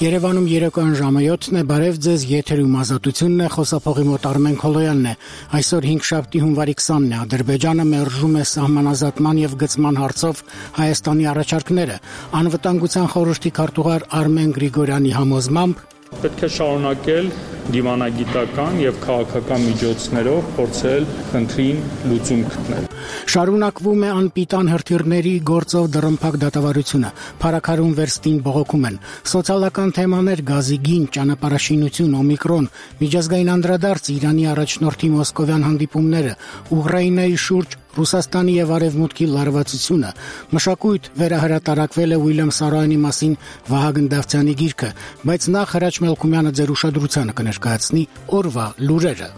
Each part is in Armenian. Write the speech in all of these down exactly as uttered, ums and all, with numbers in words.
Երևանում երեկոյան ժամը յոթն է, բարև ձեզ, եթերում ազատությունն է, խոսափողի մոտ Արմեն Քոլոյանն է։ Այսօր հինգշաբթի հունվարի քսանն է, Ադրբեջանը մերժում է սահմանազատման եւ գծման հարցով Հայաստանի առաջարկները։ Անվտանգության խորհրդի քարտուղար Արմեն Գրիգորյանի համոզմամբ պետք է շարունակել դիվանագիտական եւ քաղաքական միջոցներով փորձել խնդրին լուծում գտնել։ Շարունակվում է անպիտան հրթիռների գործով դռնփակ դատավարությունը, փարաքարում վերստին բողոքում են, սոցիալական թեմաներ, գազի գին, ճանապարհաշինություն, օմիկրոն, միջազգային անդրադարձ, Իրանի առաջնորդի մոսկովյան հանդիպումները, Ուկրաինայի շուրջ Ռուսաստանի եւ Արևմուտքի լարվածությունը, մշակույթ վերահրատարակվել է Ուիլյամ Սարոյանի մասին Վահագն Դավթյանի գիրքը, բայց նախ Հրաչ Մելքումյանը ձեր ուշադրությանը կներկայացնի օրվա լուրերը։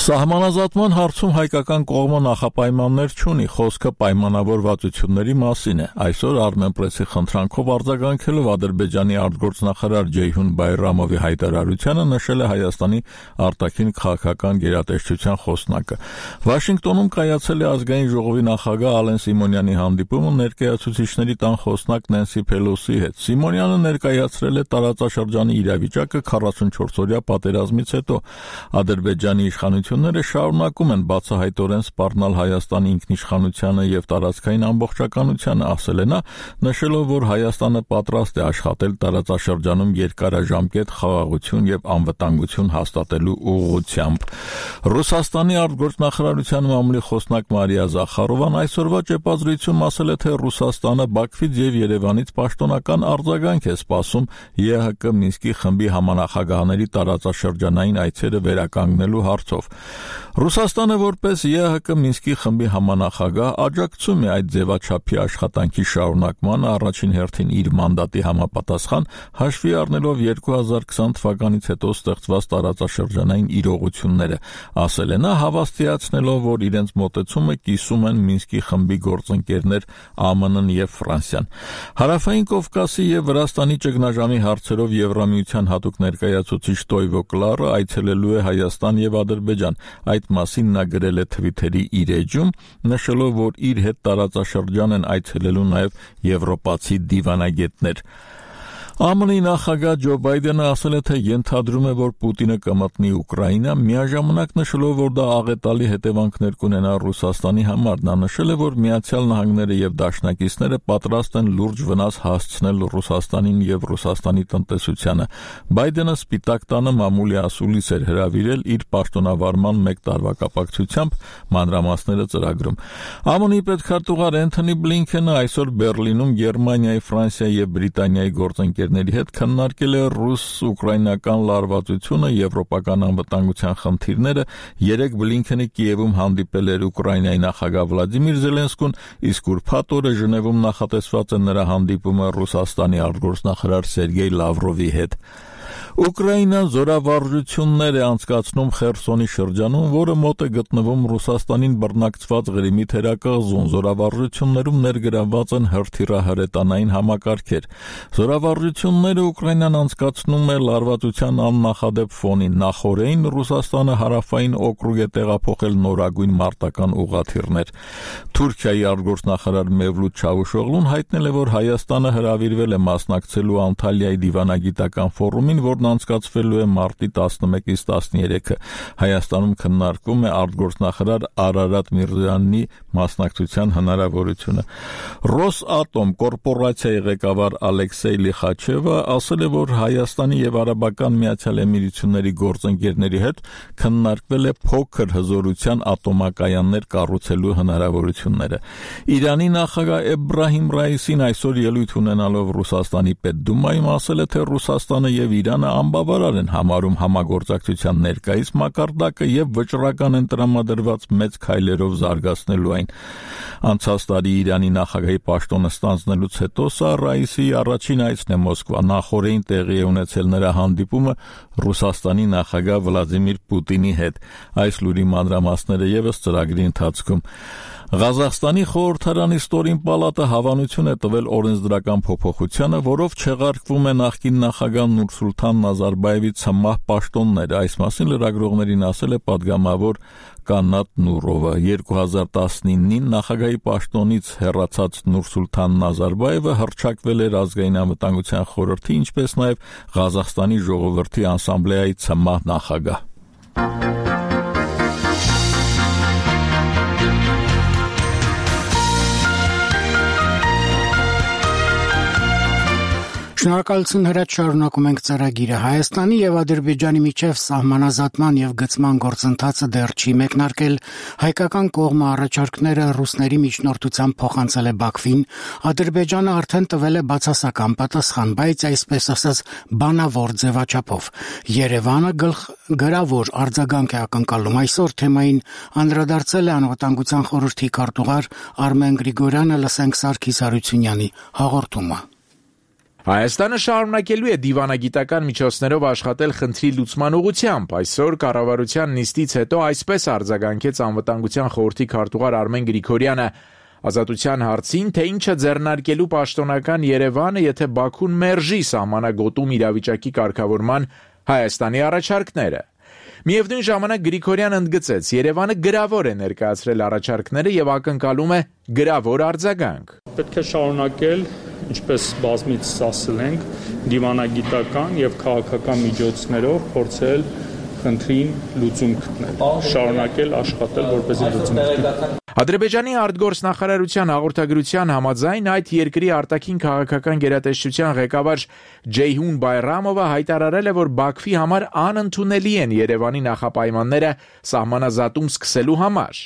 Սահմանազատման հարցում հայկական կողմը նախապայմաններ չունի, խոսքը պայմանավորվածությունների մասին է։ Այսօր Armenpress-ի խնդրանքով արձագանքելով Ադրբեջանի արտգործնախարար Ջեյհուն Բայրամովի հայտարարությանը նշել է Հայաստանի արտաքին քաղաքական գերատեսչության խոսնակը։ Վաշինգտոնում կայացել է ազգային ժողովի նախագահ Ալեն Սիմոնյանի հանդիպումը ներկայացուցիչների տան խոսնակ Նենսի Փելոսի հետ։ Սիմոնյանը ներկայացրել է տարածաշրջանի իրավիճակը քառասունչորս-օրյա պատերազմից հետո։ Ադրբեջանի իշխանությունը Ները շարունակում են բացահայտորեն սպառնալ Հայաստանի ինքնիշխանությանը եւ տարածքային ամբողջականությանը, ասել է նա, նշելով, որ Հայաստանը պատրաստ է աշխատել տարածաշրջանում երկարաժամկետ խաղաղություն եւ անվտանգություն հաստատելու ուղղությամբ։ Ռուսաստանի արտգործնախարարության մամուլի խոսնակ Մարիա Զախարովան այսօրվա ճեպազրույցում ասել է, թե Ռուսաստանը Բաքվից եւ Երևանից պաշտոնական արձագանք է սպասում ԵՀԿ Մինսկի խմբի համանախագահաների տարածաշրջանային այցերը վերականգնելու հարցով։ Ռուսաստանը որպես ԵՀԿ Մինսկի խմբի համանախագահ աջակցում է այդ ձևաչափի աշխատանքի շարունակմանը առաջին հերթին իր մանդատի համապատասխան հաշվի առնելով երկու հազար քսան թվականից հետո ստեղծված տարածաշրջանային իրողությունները, ասել է նա, հավաստիացնելով, որ իրենց մոտեցումը կիսում են Մինսկի խմբի գործընկերներ ԱՄՆ-ն եւ Ֆրանսիան։ Հարավային Կովկասի եւ Վրաստանի ճգնաժամի հարցերով Եվրամիության հատուկ ներկայացուցիչ Տոյվո Կլարը այցելելու է Հայաստան եւ Ադրբեջան։ Այդ մասին նա գրել է Թվիթերի իր էջում, նշելով, որ իր հետ տարածաշրջան են այցելելու նաև եվրոպացի դիվանագետներ։ ԱՄՆ-ի նախագահ Ջո Բայդենը ասել է, թե ենթադրում է, որ Պուտինը կմտնի Ուկրաինա, միաժամանակ նշելով, որ դա աղետալի հետևանքներ կունենա Ռուսաստանի համար։ Նա նշել է, որ Միացյալ Նահանգները եւ դաշնակիցները պատրաստ են լուրջ վնաս հասցնել Ռուսաստանին եւ Ռուսաստանի տնտեսությանը։ Բայդենը Սպիտակ տանը մամուլի ասուլիս էր հրավիրել իր պաշտոնավարման մեկ տարվա կապակցությամբ, մանրամասները ծրագրում։ ԱՄՆ-ի պետքարտուղար Էնթոնի Բլինքենը այսօր Բերլինում Գերմանիայի, Ֆրանսիայի եւ Բրիտանիայի գործընկեր ների հետ քննարկել է ռուս-ուկրաինական լարվածությունը, եվրոպական անվտանգության խնդիրները, երեք Բլինքենը Կիևում հանդիպել էր Ուկրաինայի նախագահ Վլադիմիր Զելենսկուն, իսկ ուրբաթ օրը Ժնևում նախատեսված է նրա հանդիպումը Ռուսաստանի արտգործնախարար Սերգեյ Լավրովի հետ։ Ուկրաինան զորավարժություններ է անցկացնում Խերսոնի շրջանում, որը մոտ է գտնվում Ռուսաստանին բռնակցված Ղրիմի թերակղզուն։ Զորավարժություններում ներգրավված են հրթիռահրետանային համակարգեր։ Զորավարժությունները Ուկրաինան անցկացնում է լարվածության աննախադեպ ֆոնին։ Նախորդին Ռուսաստանը հարավային օկրուգ է տեղափոխել նորագույն մարտական ուղղաթիռներ։ Թուրքիայի արտգործնախարար Մևլութ Չավուշօղլուն հայտնել է, որ Հայաստանը հրավիրվել է մասնակցելու Անտալիայի դիվանագիտական ֆորումին, որն անցկացվելու է մարտի տասնմեկից տասներեքը։ Հայաստանում քննարկվում է արտգործնախարար Արարատ Միրզոյանի մասնակցության հնարավորությունը։ Ռոսատոմ կորպորացիայի ղեկավար Ալեքսեյ Լիխաչևը ասել է, որ Հայաստանի եւ Արաբական Միացյալ Էմիրությունների գործընկերների հետ քննարկվել է փոքր հզորության ատոմակայաններ կառուցելու հնարավորությունները։ Իրանի նախագահ Էբրահիմ Ռայիսին այսօր ելույթ ունենալով Ռուսաստանի Պետդումայում ասել է, թե Ռուսաստանը եւ Իրանը անբավարար են համարում համագործակցության ներկայիս մակարդակը եւ վճռական են տրամադրված մեծ քայլերով զարգացնելու այն։ Անցած տարի Իրանի նախագահի պաշտոնը ստանձնելուց հետո սա Ռայիսի առաջին այցն է Մոսկվա։ Նախորդին տեղի է ունեցել նրա հանդիպումը Ռուսաստանի նախագահ Վլադիմիր Պուտինի հետ։ Այս լուրի մանրամասները եւս ծրագրի ընթացքում։ Ղազախստանի խորհրդարանի ստորին պալատը հավանություն է տվել օրենսդրական փոփոխությանը, որով չեղարկվում է նախկին նախագահ Նուրսուլթան Նազարբայևի ցմահ պաշտոնները, այս մասին լրագրողներին ասել է պատգամավոր Կանատ Նուրովը։ երկու հազար տասնինին նախագահի պաշտոնից հեռացած Նուրսուլթան Նազարբայևը հռչակվել էր ազգային անվտանգության խորհրդի, ինչպես նաև Ղազախստանի ժողովրդի ասամբլեայի ցմահ նախագահ։ Շնորհակալություն Հրաչ, շարունակում ենք ծրագիրը։ Հայաստանի եւ Ադրբեջանի միջև սահմանազատման եւ գծման գործընթացը դեռ չի մեկնարկել։ Հայկական կողմը առաջարկները ռուսների միջնորդությամբ փոխանցել է Բաքվին։ Ադրբեջանը արդեն տվել է բացասական պատասխան, բայց այսպես ասած բանավոր ձևաչափով։ Երևանը գրավոր արձագանք է ակնկալում։ Այսօր թեմային անդրադարձել է Անվտանգության խորհրդի քարտուղար Արմեն Գրիգորյանը, լսենք Սարգիս Հարությունյանի հաղորդումը։ Հայաստանը շարունակելու է դիվանագիտական միջոցներով աշխատել խնդրի լուծման ուղղությամբ։ Այսօր կառավարության նիստից հետո այսպես արձագանքեց Անվտանգության խորհրդի քարտուղար Արմեն Գրիգորյանը ազատության հարցին, թե ինչը ձեռնարկելու պաշտոնական Երևանը, եթե Բաքուն մերժի սահմանագոտում իրավիճակի կարգավորման Հայաստանի առաջարկները։ Միևնույն ժամանակ Գրիգորյանը ընդգծեց, Երևանը գրավոր է ներկայացրել առաջարկները եւ ակնկալում է գրավոր արձագանք։ Պետք է շարունակել, ինչպես բազմից ասել ենք, դիվանագիտական եւ քաղաքական միջոցներով փորձել խնդրին լուծում գտնել, շարունակել աշխատել որպեսզի լուծում գտնի։ Ադրբեջանի արտգործնախարարության հաղորդագրության համաձայն այդ երկրի արտաքին քաղաքական գերատեսչության ղեկավար Ջեյհուն Բայրամովը հայտարարել է, որ Բաքվի համար անընդունելի են Երևանի նախապայմանները սահմանազատում սկսելու համար։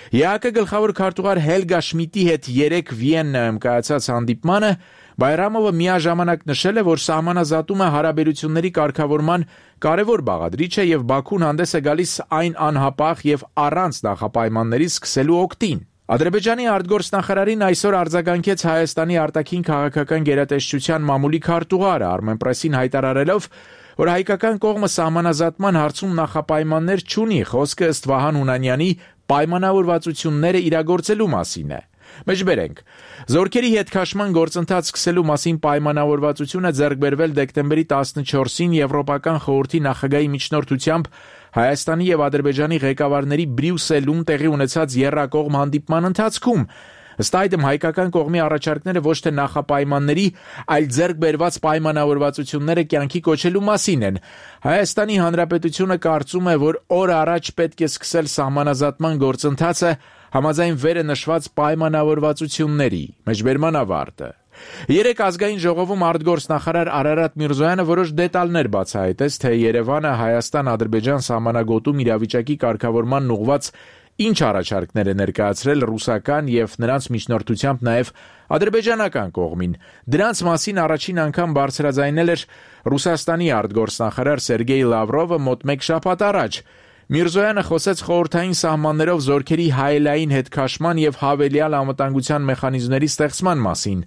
ԵԱԿ գլխավոր քարտուղար Հելգա Շմիդտի հետ երեկ Վիեննայում կայացած հանդիպմանը Բայրամովը միաժամանակ նշել է, որ սահմանազատումը հարաբերությունների կարգավորման կարևոր բաղադրիչ է եւ Բաքուն հանդես է գալիս այն անհապաղ եւ առանց նախապայմանների սկսելու օգտին։ Ադրբեջանի արտգործնախարարին այսօր արձագանքեց Հայաստանի արտաքին քաղաքական գերատեսչության մամուլի քարտուղարը Armenpress-ին հայտարարելով, որ հայկական կողմը սահմանազատման հարցում նախապայմաններ չունի, խոսքը ըստ Վահան Հունանյանի պայմանավորվածությունները իրագործելու մասին է։ Մեջբերենք, զորքերի հետքաշման գործընթաց սկսելու մասին պայմանավորվածությունը ձեռք բերվել դեկտեմբերի տասնչորսին Եվրոպական խորհրդի նախագահի միջնորդությամբ Հայաստանի եւ Ադրբեջանի ղեկավարների Բրյուսելում տեղի ունեցած եռակողմ հանդիպման ընթացքում։ Ըստ այդմ հայկական կողմի առաջարկները ոչ թե նախապայմանների, այլ ձեռք բերված պայմանավորվածությունները կյանքի կոչելու մասին են։ Հայաստանի Հանրապետությունը կարծում է, որ օր առաջ պետք է սկսել սահմանազատման գործընթացը համաձայն վերը նշված պայմանավորվածությունների։ Մեջբերման ավարտը։ Երեք ազգային ժողովում արտգործնախարար Արարատ Միրզոյանը որոշ դետալներ բացահայտեց, թե Երևանը Հայաստան-Ադրբեջան սահմանագոտում իրավիճակի կարգավորման ուղղված ինչ առաջարկներ է ներկայացրել ռուսական եւ նրանց միջնորդությամբ նաեւ ադրբեջանական կողմին։ Դրանց մասին առաջին անգամ բարձրաձայնել էր Ռուսաստանի արտգործնախարար Սերգեյ Լավրովը մոտ մեկ շաբաթ առաջ։ Միրզոյանը խոսեց խորհրդային սահմաններով զորքերի հայելային հետքաշման եւ հավելյալ անվտանգության մեխանիզմների ստեղծման մասին։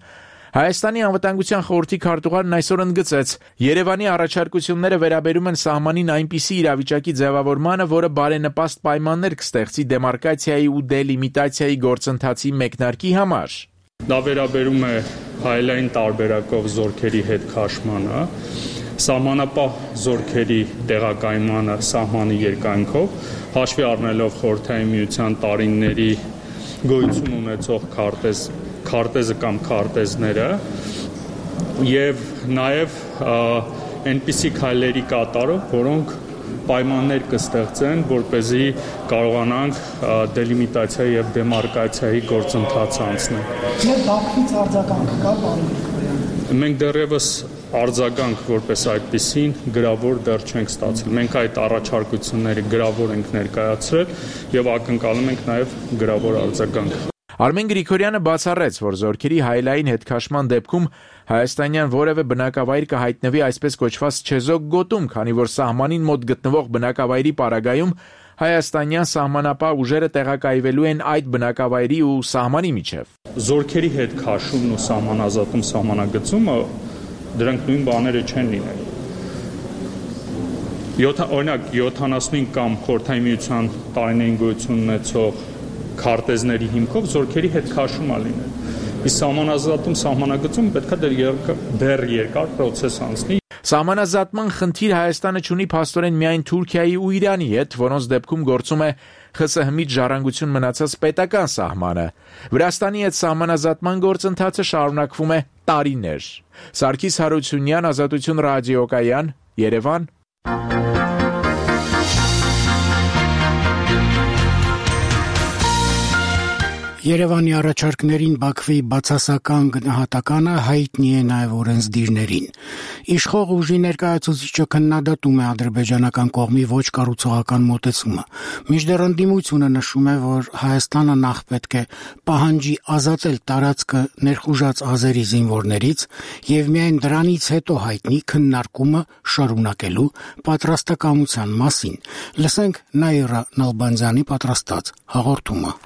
Հայաստանի անվտանգության խորհրդի քարտուղարն այսօր ընդգծեց, Երևանի առաջարկությունները վերաբերում են սահմանին այնպիսի իրավիճակի ձևավորմանը, որը բարենպաստ պայմաններ կստեղծի դեմարկացիայի ու դելիմիտացիայի գործընթացի մեկնարկի համար։ Դա վերաբերում է հայելային տարբերակով զորքերի հետքաշմանը, սահմանապահ զորքերի տեղակայմանը սահմանի երկայնքով, հաշվի առնելով խորհրդային միության տարիների գոյություն ունեցող քարտեզ քարտեզը կամ քարտեզները եւ նաեւ այնպիսի քայլերի կատարով, որոնք պայմաններ կստեղծեն, որպեսզի կարողանանք դելիմիտացիայի եւ դեմարկացիայի գործընթաց անցնել։ Ձեր Բաքվից արձագանք կա, պարոն Գրիգորյան։ Մենք դեռևս արձագանք որպես այդպիսին գրավոր դեռ չենք ստացել։ Մենք այդ առաջարկությունները գրավոր ենք ներկայացրել եւ ակնկալում ենք նաեւ գրավոր արձագանք։ Արմեն Գրիգորյանը բացառեց, որ զորքերի հայելային հետքաշման դեպքում հայաստանյան որևէ բնակավայր կհայտնվի այսպես կոչված չեզոք գոտում, քանի որ սահմանին մոտ գտնվող բնակավայրի պարագայում հայաստանյան սահմանապահ ուժերը տեղակայվելու են այդ բնակավայրի ու սահմանի միջև։ Զորքերի հետքաշումն ու սահմանազատում սահմանագծումը դրանք նույն բաները չեն լինել։ Օրինակ յոթանասունհինգ կամ խորհրդային միության տարիներին գոյություն ունեցող քարտեզների հիմքով զորքերի հետ քաշում ա լինել։ Իսկ սահմանազատում սահմանագծում պետք է դեռ երկար, դեռ երկար պրոցես անցնի։ Սահմանազատման խնդիր Հայաստանը ունի փաստորեն միայն Թուրքիայի ու Իրանի հետ, որոնց դեպքում գործում է ԽՍՀՄ-ից ժառանգություն մնացած պետական սահմանը։ Վրաստանի հետ սահմանազատման գործընթացը շարունակվում է տարիներ։ Սարգիս Հարությունյան, Ազատություն ռադիոկայան, Երևան։ Երևանի առաջարկներին Բաքվի բացասական գնահատականը հայտնի է նաև օրենսդիրներին։ Իշխող ուժի ներկայացուցիչը քննադատում է ադրբեջանական կողմի ոչ կառուցողական մոտեցումը։ Մինչդեռ ընդդիմությունը նշում է, որ Հայաստանը նախ պետք է պահանջի ազատել տարածքը ներխուժած ազերի զինվորներից եւ միայն դրանից հետո հայտնի քննարկումը շարունակելու պատրաստակամության մասին։ Լսենք Նաիրա Նալբանդյանի պատրաստած հաղորդումը։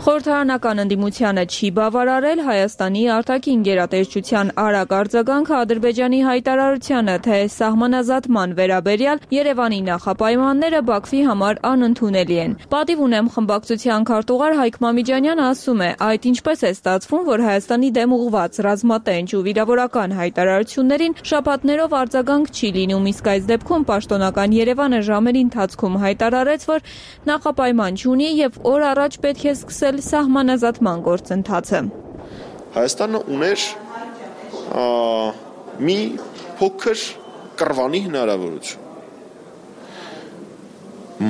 Խորհրդարանական ընդդիմությանը չի բավարարել Հայաստանի արտաքին գերատեսչության արագ արձագանքը Ադրբեջանի հայտարարությանը, թե սահմանազատման վերաբերյալ Երևանի նախապայմանները Բաքվի համար անընդունելի են։ Պատիվ ունեմ խմբակցության քարտուղար Հայկ Մամիջանյանը ասում է, այդ ինչպես է ստացվում, որ Հայաստանի դեմ ուղղված ռազմատենչ ու վիրավորական հայտարարություններին շաբաթներով արձագանք չի լինում, իսկ այս դեպքում պաշտոնական Երևանը ժամերի ընթացքում հայտարարեց, որ նախապայման չունի եւ օր առաջ պետք է սկսել սահմանազատման գործընթացը։ Հայաստանը ուներ մի փոքր կռվանի հնարավորություն։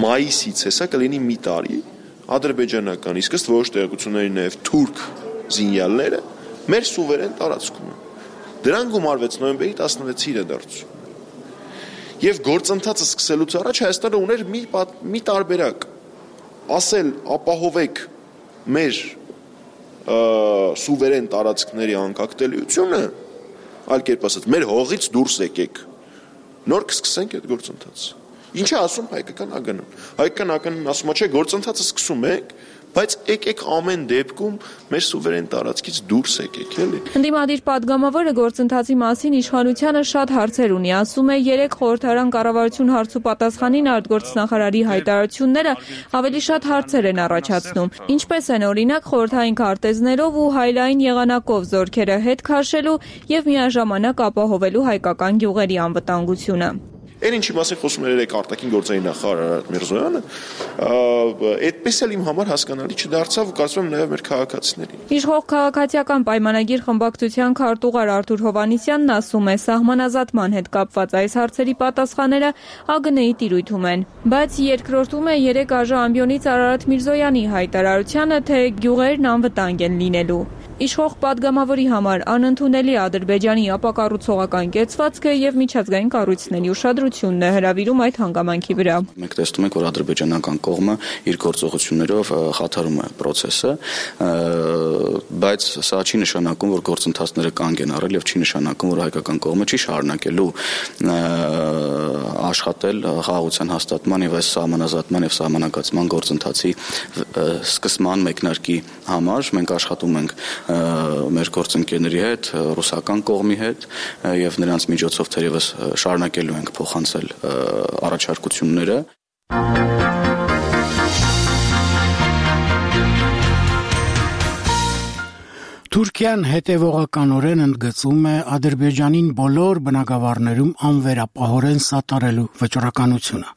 Մայիսից հեսա կլինի մի տարի ադրբեջանական, իսկ ըստ որոշ տեղեկությունների նաև թուրք զինյալները մեր սուվերեն տարածքում են։ Դրան գումարվեց նոյեմբերի տասնվեցի իրադարձություն։ Եվ գործընթացը սկսելուց առաջ Հայաստանը ուներ մի, մի տարբերակ, ասել ապահովեք մեր սուվերեն տարածքների անկախտելիությունը, այլ կերպ ասած, մեր հողից դուրս եկեք, նոր կսկսենք այդ գործընթացը։ Ինչ է ասում հայկական ԱԳՆ-ն։ Հայկական ԱԳՆ-ն ասում է, չէ, գործընթացը սկսում ենք, բայց եկեք ամեն դեպքում մեր սուվերեն տարածքից դուրս եկեք, էլի։ Ընդդիմադիր падգամավորը գործընթացի մասին իշխանությանը շատ հարցեր ունի, ասում է, երեք խորհրդարան կառավարություն հարց ու պատասխանին արտգործնախարարի հայտարարությունները ավելի շատ հարցեր են առաջացնում։ Ինչպես են օրինակ խորհրդային քարտեզներով ու հայլային եղանակով զորքերը հետ քաշելու եւ միաժամանակ ապահովելու հայկական գյուղերի անվտանգությունը։ Այն ինչի մասին խոսում էր երեք արտաքին գործերի նախարար Արարատ Միրզոյանը, այդպես էլ իմ համար հասկանալի չդարձավ ու կարծում եմ նաև մեր քաղաքացիներին։ Իշխող քաղաքացիական պայմանագիր խմբակցության քարտուղար Արթուր Հովհաննիսյանն ասում է, սահմանազատման հետ կապված այս հարցերի պատասխանները ԱԳՆ-ի տիրույթում են։ Բայց երկրորդում է երեք ԱԺ ամբիոնից Արարատ Միրզոյանի հայտարարությանը, թե գյուղերն անվտանգ են լինելու։ Իշխող падգամավորի համար անընդունելի Ադրբեջանի ապակառուցողական կեցվածքը եւ միջազգային կառույցների ուշադրությունն է հրավիրում այդ հանգամանքի վրա։ Մենք տեսնում ենք, որ ադրբեջանական կողմը իր գործողություններով խաթարում է process-ը, բայց սա չի նշանակում, որ գործընթացները կանգ են առել եւ չի նշանակում, որ հայկական կողմը չի շարունակելու աշխատել խաղաղության հաստատման եւ այս սահմանազատման եւ սահմանակացման գործընթացի սկսման մեկնարկի համար։ Մենք աշխատում ենք մեր գործընկերների հետ, ռուսական կողմի հետ եւ նրանց միջոցով թերևս շարունակելու ենք փոխանցել առաջարկությունները։ Թուրքիան հետևողականորեն ընդգծում է Ադրբեջանին բոլոր բնակավարներում անվերապահորեն սատարելու վճռականությունը։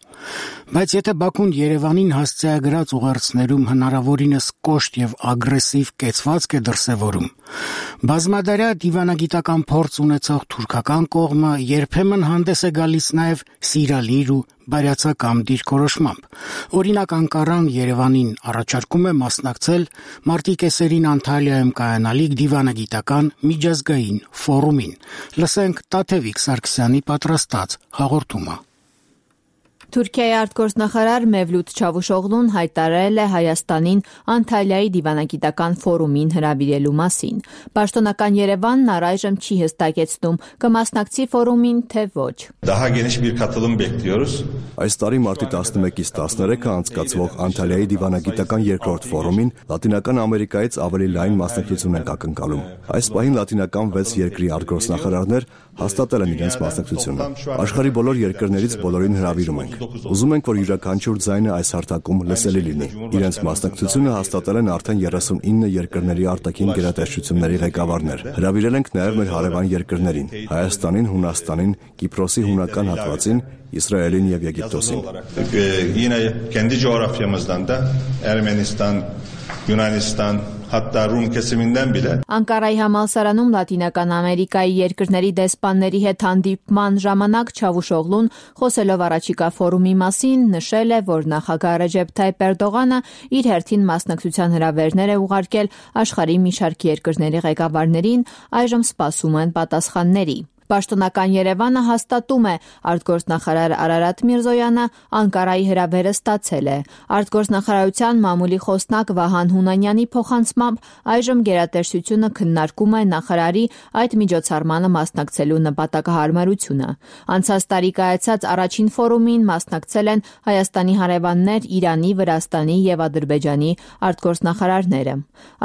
Բայց եթե Բաքուն Երևանին հասցեագրած ուղերձներում հնարավորինս կոշտ եւ ագրեսիվ կեցվածք է դրսևորում, բազմադարյա դիվանագիտական փորձ ունեցող թուրքական կողմը երբեմն հանդես է գալիս նաեւ սիրալիր ու բարյացակամ դիրքորոշմամբ։ Օրինակ Անկարան Երևանին առաջարկում է մասնակցել մարտի կեսերին Անտալիայում կայանալիք դիվանագիտական միջազգային ֆորումին։ Լսենք Տաթևիկ Սարգսյանի պատրաստած հաղորդումը։ Թուրքիայի արտգործնախարար Մևլութ Չավուշօղլուն հայտարարել է Հայաստանին Անտալիայի դիվանագիտական ֆորումին հրավիրելու մասին։ Պաշտոնական Երևանն առայժմ չի հստակեցնում կմասնակցի ֆորումին, թե ոչ։ Daha geniş bir katılım bekliyoruz. Այս տարի մարտի տասնմեկից տասներեքը անցկացվող Անտալիայի դիվանագիտական երկրորդ ֆորումին Լատինական Ամերիկայից ավելի լայն մասնակցություն ենք ակնկալում։ Այս պահին լատինական վեց երկրի արտգործնախարարներ հաստատել են իրենց մասնակցությունը։ Աշխարհի բոլոր երկրներից բոլորին հրավիրում ենք։ Ուզում ենք, որ յուրաքանչյուր ձայնը այս հարթակում լսելի լինի։ Իրենց մասնակցությունը հաստատել են արդեն երեսունինը երկրների արտաքին գերատեսչությունների ղեկավարներ։ Հրավիրել ենք նաև մեր հարևան երկրներին՝ Հայաստանին, Հունաստանին, Կիպրոսի հունական հատվածին, Իսրայելին եւ Եգիպտոսին։ Yine kendi coğrafyamızdan da Ermenistan, Yunanistan, hatta Rum kesiminden bile Անկարայի համալսարանում Լատինական Ամերիկայի երկրների դեսպանների հետ հանդիպման ժամանակ Չավուշօղլուն խոսելով առաջիկա ֆորումի մասին նշել է, որ նախագահ Ռեջեփ Թայիփ Էրդողանը իր հերթին մասնակցության հրավերներ է ուղարկել աշխարհի մի շարք երկրների ղեկավարներին, այժմ սպասում են պատասխանների։ Պաշտոնական Երևանը հաստատում է, արտգործնախարար Արարատ Միրզոյանը Անկարայի հրավերը ստացել է։ Արտգործնախարարության մամուլի խոսնակ Վահան Հունանյանի փոխանցմամբ այժմ գերատեսչությունը քննարկում է նախարարի այդ միջոցառմանը մասնակցելու նպատակահարմարությունը։ Անցած տարի կայացած առաջին ֆորումին մասնակցել են Հայաստանի հարևաններ Իրանի, Վրաստանի եւ Ադրբեջանի արտգործնախարարները։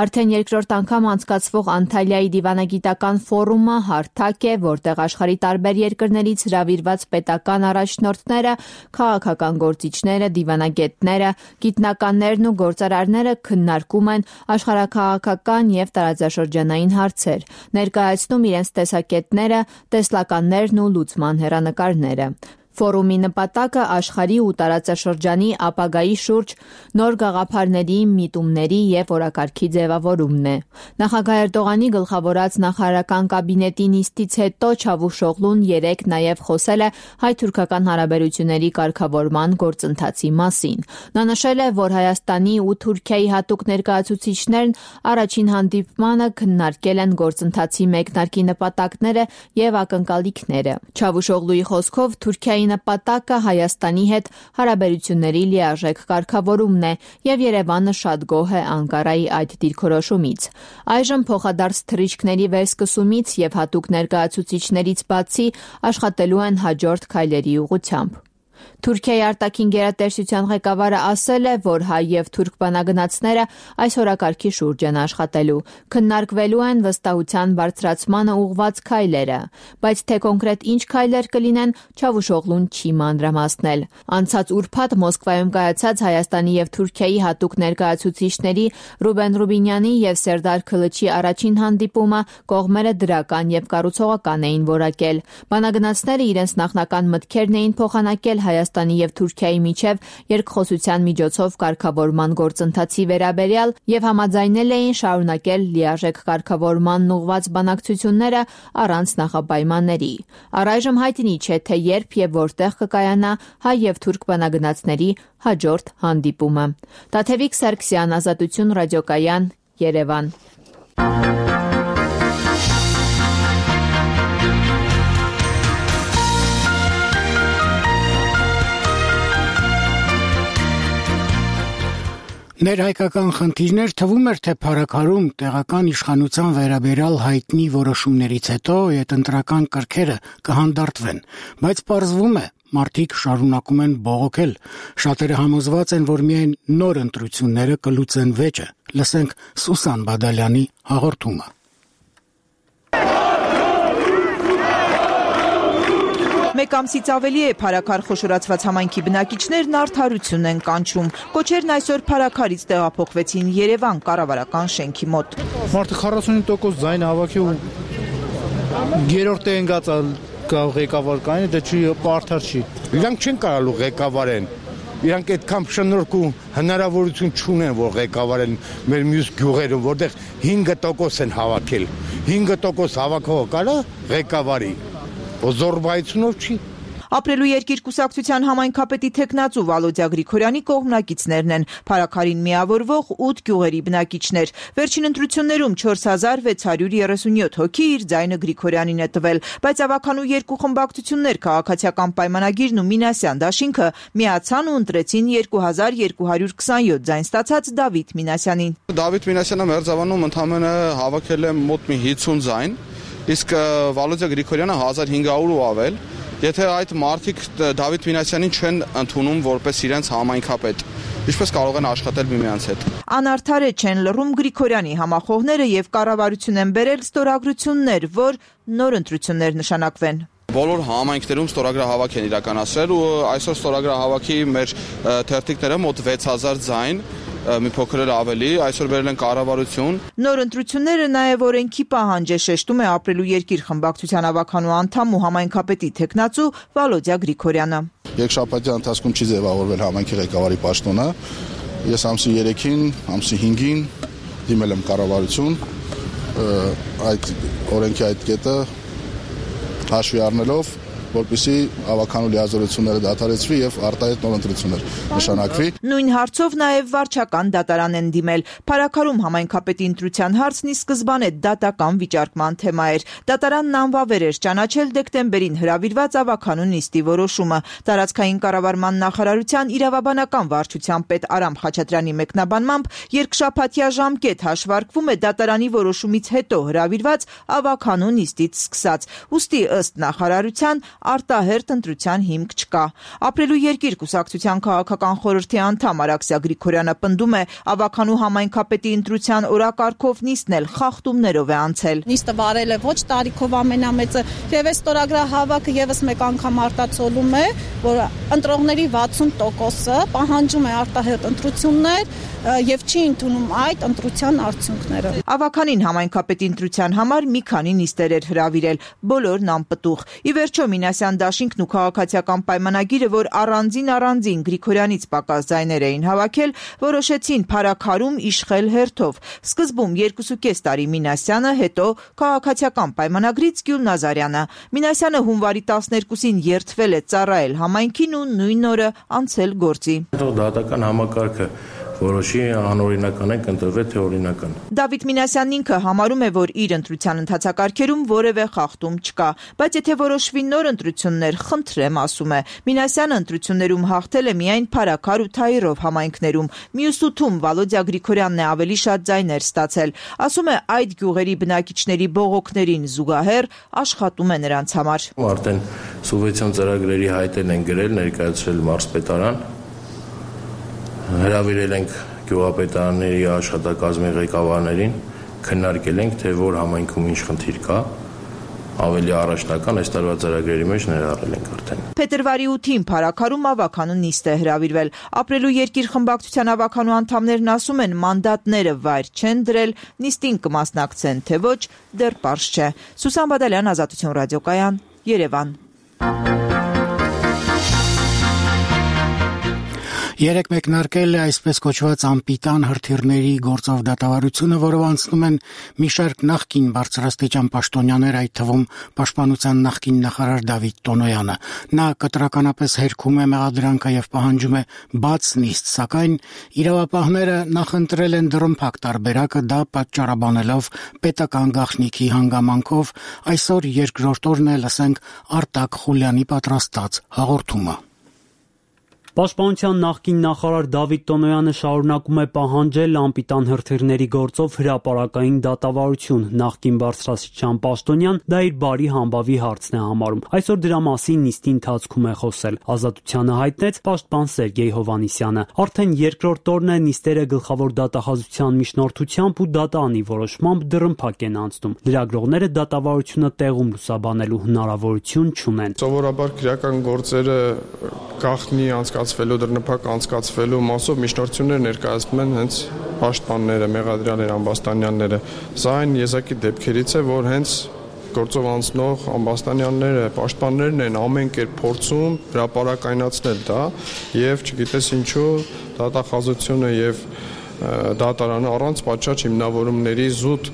Արդեն երկրորդ անգամ անցկացվող Անտալիայի դիվանագիտական ֆորումը հարթակ է, որտեղ աշխարհի տարբեր երկրներից հրավիրված պետական առաջնորդները, քաղաքական գործիչները, դիվանագետները, գիտնականներն ու գործարարները քննարկում են աշխարհաքաղաքական եւ տարածաշրջանային հարցեր, ներկայացնում իրենց տեսակետները, տեսլականներն ու լուծման հեռանկարները։ Ֆորումի նպատակը աշխարհի ու տարածաշրջանի ապագայի շուրջ նոր գաղափարների, միտումների եւ օրակարգի ձևավորումն է։ Նախագահ Էրդողանի գլխավորած նախարարական կաբինետի նիստից հետո Չավուշօղլուն երեկ նաեւ խոսել է հայ-թուրքական հարաբերությունների կարգավորման գործընթացի մասին։ Նա նշել է, որ Հայաստանի ու Թուրքիայի հատուկ ներկայացուցիչներն առաջին հանդիպմանը քննարկել են գործընթացի մեկնարկի նպատակները եւ ակնկալիքները։ Չավուշօղլուի խոսքով Թուրքիայի նպատակը Հայաստանի հետ հարաբերությունների լիարժեք կարգավորումն է եւ Երևանը շատ գոհ է Անկարայի այդ դիրքորոշումից։ Այժմ փոխադարձ թռիչքների վերսկսումից եւ հատուկ ներկայացուցիչներից բացի աշխատելու են հաջորդ քայլերի ուղղությամբ։ Թուրքիայի արտաքին գերատեսչության ղեկավարը ասել է, որ հայ եւ թուրք բանագնացները այս օրակարգի շուրջ են աշխատելու, քննարկվելու են վստահության բարձրացմանը ուղղված քայլերը, բայց թե կոնկրետ ինչ քայլեր կլինեն, Չավուշօղլուն չի մանրամասնել։ Անցած ուրբաթ Մոսկվայում կայացած Հայաստանի եւ Թուրքիայի հատուկ ներկայացուցիչների Ռուբեն Ռուբինյանի եւ Սերդար Քլիչի առաջին հանդիպումը կողմերը դրական եւ կառուցողական էին որակել։ Բանագնացները իրենց նախնական մտքերն էին փոխանակել Հայաստանի եւ Թուրքիայի միջև երկխոսության միջոցով կարգավորման գործընթացի վերաբերյալ եւ համաձայնել էին շարունակել լիարժեք կարգավորման ուղղված բանակցությունները առանց նախապայմանների։ Առայժմ հայտնի չէ, թե երբ եւ որտեղ կկայանա հայ եւ թուրք բանագնացների հաջորդ հանդիպումը։ Տաթևիկ Սարգսյան, Ազատություն ռադիոկայան, Երևան։ Ներհայկական խնդիրներ թվում էր, թե փառաքարում տեղական իշխանության վերաբերյալ հայտնի որոշումներից հետո հետընտրական կրքերը կհանդարտվեն, բայց պարզվում է, մարդիկ շարունակում են բողոքել։ Շատերը համոզված են, որ միայն նոր ընտրությունները կլուծեն վեճը։ Լսենք Սուսան Բադալյանի հաղորդումը։ Մեկ ամսից ավելի է փառաքար խոշորացված համայնքի բնակիչներն արդարություն են կանչում։ Կոչերն այսօր փառաքարից տեղափոխվեցին Երևան կառավարական շենքի մոտ։ Մարդը քառասունհինգ տոկոս ձայն հավաքի ու երրորդ են գացալ ղեկավար կային, դա չի արդար չի։ Իրանք չեն կարալու ղեկավարեն։ Իրանք այդքան շնորհք ու հնարավորություն չունեն, որ ղեկավարեն մեր մյուս գյուղերում, որտեղ հինգ տոկոս են հավաքել։ հինգ տոկոս հավաքողը կարա ղեկավարի։ Զորբայությունով չի։ Ապրելու երկիր կուսակցության համայնքապետի թեկնածու Վալոդյա Գրիգորյանի կողմնակիցներն են, փառաքարին միավորվող ութ գյուղերի բնակիչներ։ Վերջին ընտրություններում չորս հազար վեց հարյուր երեսունյոթ հոգի իր ձայնը Գրիգորյանին է տվել, բայց ավականու երկու խմբակցություններ քաղաքացիական պայմանագիրն ու Մինասյան դաշինքը միացան ու ընտրեցին երկու հազար երկու հարյուր քսանյոթ ձայն ստացած Դավիթ Մինասյանին։ Դավիթ Մինասյանը Մերձավանում ընդամենը հավաքել է մոտ մի հիսուն ձայն, իսկ Վալոդյա Գրիգորյանը հազար հինգ հարյուր ու ավել։ Եթե այդ մարդիկ Դավիթ Մինասյանին չեն ընդունում որպես իրենց համայնքապետ, ինչպես կարող են աշխատել միմյանց հետ։ Անարդար է չեն լռում Գրիգորյանի համախոհները եւ կառավարություն են բերել ստորագրություններ, որ նոր ընտրություններ նշանակվեն։ Բոլոր համայնքներում ստորագրահավաք են իրականացրել ու այսօր ստորագրահավաքի մեր թերթիկները մոտ վեց հազար ձայն մի փոքր էլ ավելի, այսօր բերել են կառավարություն։ Նոր ընտրությունները նաև օրենքի պահանջ է, շեշտում է Ապրելու երկիր խմբակցության ավականու անդամ ու համայնքապետի թեկնածու Վալոդյա Գրիգորյանը։ Երկշաբաթյա ընթացքում չի ձևավորվել համայնքի ղեկավարի պաշտոնը։ Ես ամսի երեքին, ամսի հինգին դիմել եմ կառավարություն, այդ օրենքի այդ կետը հաշվի առնելով, որպեսզի ավականու լիազորությունները դադարեցվի եւ արտահայտ նոր ընտրություններ նշանակվի։ Նույն հարցով նաև վարչական դատարան են դիմել։ Փարաքարում համայնքապետի ընտրության հարցն ի սկզբանե դատական վիճարկման թեմա էր։ Դատարանն անվավեր էր ճանաչել դեկտեմբերին հրավիրված ավականու նիստի որոշումը։ Տարածքային կառավարման նախարարության իրավաբանական վարչության պետ Արամ Խաչատրյանի մեկնաբանմամբ երկշաբաթյա ժամկետ հաշվարկվում է դատարանի որոշումից հետո հրավիրված ավականու նիստից սկսած։ Ուստի ըստ նախարարության արտահերթ ընտրության հիմք չկա։ Ապրելու երկիր կուսակցության քաղաքական խորհրդի անդամ Արաքսիա Գրիգորյանը պնդում է, ավականու համայնքապետի ընտրության օրակարգով նիստն էլ խախտումներով է անցել։ Նիստը վարել է ոչ տարիքով ամենամեծը եւ այս ստորագրահավաքը եւս մեկ անգամ արտացոլում է, որ ընտրողների վաթսուն տոկոսը պահանջում է արտահերթ ընտրություններ եւ չի ընդունում այդ ընտրության արդյունքները։ Ավականին համայնքապետի ընտրության համար մի քանի նիստեր էր հրավիրել, բոլորն անպտուղ։ Ի վերջո Մինասյան դաշինքն ու քաղաքացիական պայմանագիրը, որ առանձին առանձին Գրիգորյանից պակաս ձայներ էին հավաքել, որոշեցին Փարաքարում իշխել հերթով։ Սկզբում երկուսուկես տարի Մինասյանը, հետո քաղաքացիական պայմանագրից Գյուլ Նազարյանը։ Մինասյանը հունվարի տասներկուսին երթվել է ծառայել համայնքին ու նույն օրը անցել գործի։ Դատական համակարգը որոշի անօրինական է կընտրվել թե օրինական։ Դավիթ Մինասյանն ինքը համարում է, որ իր ընտրության ընթացակարգերում որևէ խախտում չկա, բայց եթե որոշվի նոր ընտրություններ, խնդրեմ, ասում է։ Մինասյանը ընտրություններում հաղթել է միայն Փարաքար ու Թայիրով համայնքներում։ Մյուս ութում Վալոդյա Գրիգորյանն է ավելի շատ ձայներ ստացել։ Ասում է, այդ գյուղերի բնակիչների բողոքներին զուգահեռ աշխատում է նրանց համար։ Արդեն սուբվենցիոն ծրագրերի հայտեր են գրել, ներկայացրել մարզպետարան։ Հրավիրել ենք գյուղապետարանների աշխատակազմի ղեկավարներին, քննարկել ենք, թե որ համայնքում ինչ խնդիր կա, ավելի առաջնական այս տարվա ծրագրերի մեջ ներառել ենք արդեն։ Փետրվարի ութին Փարաքարում ավականու նիստ է հրավիրվել։ Ապրելու երկիր խմբակցության ավականու անդամներն ասում են, մանդատները վայր չեն դրել, նիստին կմասնակցեն, թե ոչ, դեռ պարզ չէ։ Սուսան Բադալյան, Ազատություն ռադիոկայան, Երևան։ Երեք մեկնարկել է այսպես կոչված անպիտան հրթիռների գործով դատավարությունը, որով անցնում են մի շարք նախկին բարձրաստիճան պաշտոնյաներ, այդ թվում Պաշտպանության նախկին նախարար Դավիթ Տոնոյանը։ Նա կտրականապես հերքում է մեղադրանքը եւ պահանջում է բաց նիստ, սակայն իրավապահները նախընտրել են դռնփակ տարբերակը, դա պատճառաբանելով պետական գաղտնիքի հանգամանքով։ Այսօր երկրորդ օրն է, լսենք Արտակ Խուլյանի պատրաստած հաղորդումը։ Պաշտպանության նախկին նախարար Դավիթ Տոնոյանը շարունակում է պահանջել անպիտան հրթիռների գործով հրապարակային դատավարություն։ Նախկին բարձրաստիճան պաշտոնյան դա իր բարի համբավի հարցն է համարում։ Այսօր դրա մասին նիստի ընթացքում է խոսել։ Ազատությանը հայտնեց պաշտպան Սերգեյ Հովհաննիսյանը։ Արդեն երկրորդ օրն է նիստերը գլխավոր դատախազության միջնորդությամբ ու դատանի որոշմամբ դռնփակ են անցնում։ Լրագրողները դատավարությունը տեղում լուսաբանելու հնարավորություն չունեն։ Սովորաբար քրեական գործերը գաղտնի անցկացվելու դռնփակ անցկացվելու մասով միջնորդություններ ներկայացնում են հենց պաշտպանները, Մեղադրյալներ, Ամբաստանյանները։ Սա այն եզակի դեպքերից է, որ հենց գործով անցնող Ամբաստանյանները, պաշտպաններն են ամեն կերպ փորձում հրապարակայնացնել դա եւ չգիտես ինչու դատախազությունը եւ դատարանը առանց պատշաճ հիմնավորումների զուտ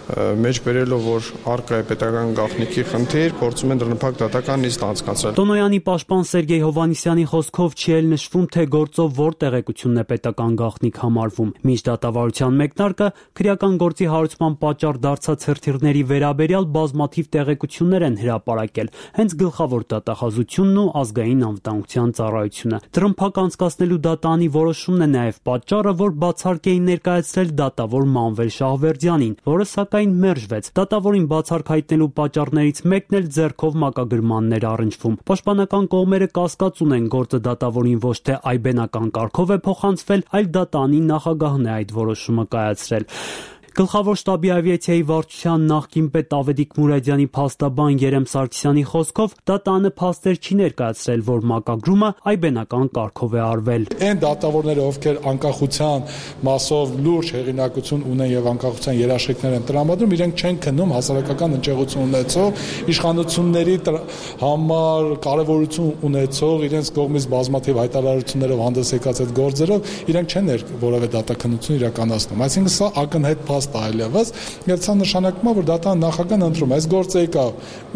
մեջ բերելով, որ առկա է պետական գաղտնիքի խնդիր, փորձում են դռնփակ դատական նիստ անցկացնել։ Տոնոյանի պաշտպան Սերգեյ Հովհաննիսյանի խոսքով չի էլ նշվում, թե գործով որ տեղեկությունն է պետական գաղտնիք համարվում։ Մինչ դատավարության մեկնարկը քրեական գործի հարուցման պատճառ դարձած հրթիռների վերաբերյալ բազմաթիվ տեղեկություններ են հրապարակել, հենց գլխավոր դատախազությունն ու ազգային անվտանգության ծառայությունը։ Դռնփակ անցկացնելու դատանի որոշումն է նաև պատճառը, որ բացառք էին ներկայացրել դատավոր Մանվել Շահվերդյանին, որը սակայն մերժվեց։ Դատավորին բացառք հայտնելու պատճառներից մեկն էլ ձեռքով մակագրմաններ առնչվում։ Պաշտպանական կողմերը կասկածուն են, գործը դատավորին ոչ թե այբենական կարգով է փոխանցվել, այլ դատանի նախագահն է այդ որոշումը կայացրել։ Գլխավոր շտաբի ավիացիայի վարչության նախկին պետ Ավետիք Մուրադյանի փաստաբան Երեմ Սարգսյանի խոսքով ԴՏԱ-ն փաստեր չի ներկայացրել, որ մակագրումը այբենական կարգով է արվել։ Այն դատավորները, ովքեր անկախության մասով լուրջ հեղինակություն ունեն եւ անկախության երաշխիքներ են տրամադրում, իրենք չեն քննում հասարակական հնչեղություն ունեցող, իշխանությունների համար կարևորություն ունեցող, իրենց կողմից բազմաթիվ հայտարարություններով հանդես եկած այդ գործերով, իրենք չեն որևէ դատաքննություն իրականացնում։ Այսինքն սա ակնհայտ փաստ է այլևս, եւ սա նշանակում է, որ ԴՏԱ-ն նախական ընտրում է այս գործը եկա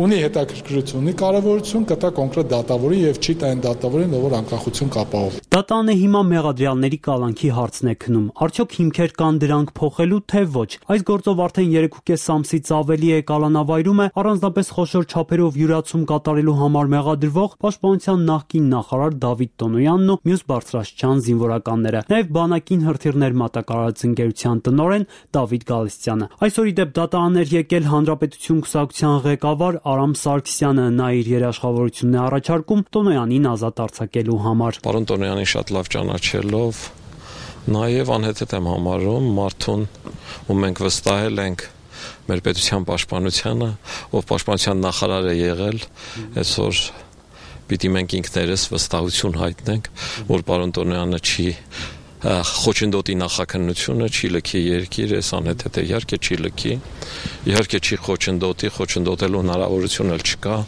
ունի հետաքրքրություն, ունի կարևորություն, կտա կոնկրետ դատավորի եւ չի տա այն դատավորին, ով որ անկախություն կապահով։ ԴՏԱ-ն հիմա մեղադրյալների կալանքի հարցն է քնում։ Արդյոք հիմքեր կան դրանք փոխելու, թե ոչ։ Այս գործով արդեն երեք ու կես ամսից ավելի է կալանավայրում է առանձնապես խոշոր չափերով յուրացում կատարելու համար մեղադրվող Պաշտպանության նախկին նախարար Դավիթ Տոնոյանն ու մյուս բարձրաստիճան զինվորականները, նաև բանակին հրթիռներ մատակարարած ընկերության տնօրեն Դավիթ Գալստյանը։ Այսօր ի դեպ ԴՏԱ-ն էր եկել Հանրապետություն կուսակցության ղեկավար Արամ Սարգսյանը, նա իր երաշխավորությունն է առաջարկում Տոնոյանին ազատ արձակելու համար։ Պարոն Տոնոյանին շատ լավ ճանաչելով, նաև անհեթեթ եմ համարում մարդուն, ու մենք վստահել ենք մեր պետության պաշտպանությանը, ով պաշտպանության նախարար է եղել, այսօր պիտի մենք ինքներս վստահություն հայտնենք, որ պարոն Տոնոյանը չի խոչընդոտի նախաքննությունը, չի լքի երկիր, այս անհեթեթ է, իհարկե չի լքի, իհարկե չի խոչընդոտի, խոչընդոտելու հնարավորություն էլ չկա,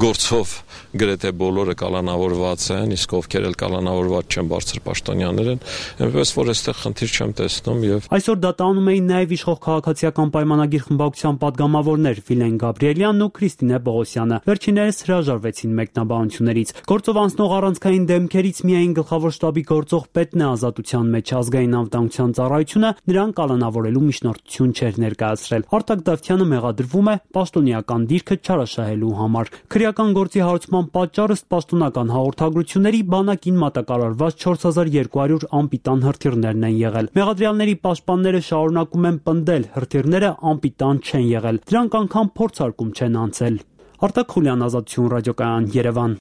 գործով գրեթե բոլորը կալանավորված են, իսկ ովքեր էլ կալանավորված չեն, բարձր պաշտոնյաներ են, այնպես որ այստեղ խնդիր չեմ տեսնում եւ Այսօր ԴՏԱ-ում էին նաև իշխող քաղաքացիական պայմանագիր խմբակցության падգամավորներ Վիլեն Գաբրիելյանն ու Քրիստինե Պողոսյանը։ Վերջիններս հրաժարվեցին մեկնաբանություններից։ Գործով անցնող առանցքային դեմքերից միայն գլխավոր շտաբի գործող պետն է ազատության մեջ, ազգային անվտանգության ծառայությունը նրան կալանավորելու միջնորդություն չէր ներկայացրել։ Արտակ Դավթյանը մեղադրվում է պաշտոնեական դիրքը չարաշահելու համար։ Քրեական գործի հարուցման պատճառը ըստ պաշտոնական հաղորդագրությունների բանակին մատակարարված չորս հազար երկու հարյուր անպիտան հրթիռներն են եղել։ Մեղադրյալների պաշտպանները շարունակում են պնդել, հրթիռները անպիտան չեն եղել։ Դրանք անգամ փորձարկում չեն անցել։ Արտակ Խուլյան, Ազատություն ռադիոկայան, Երևան։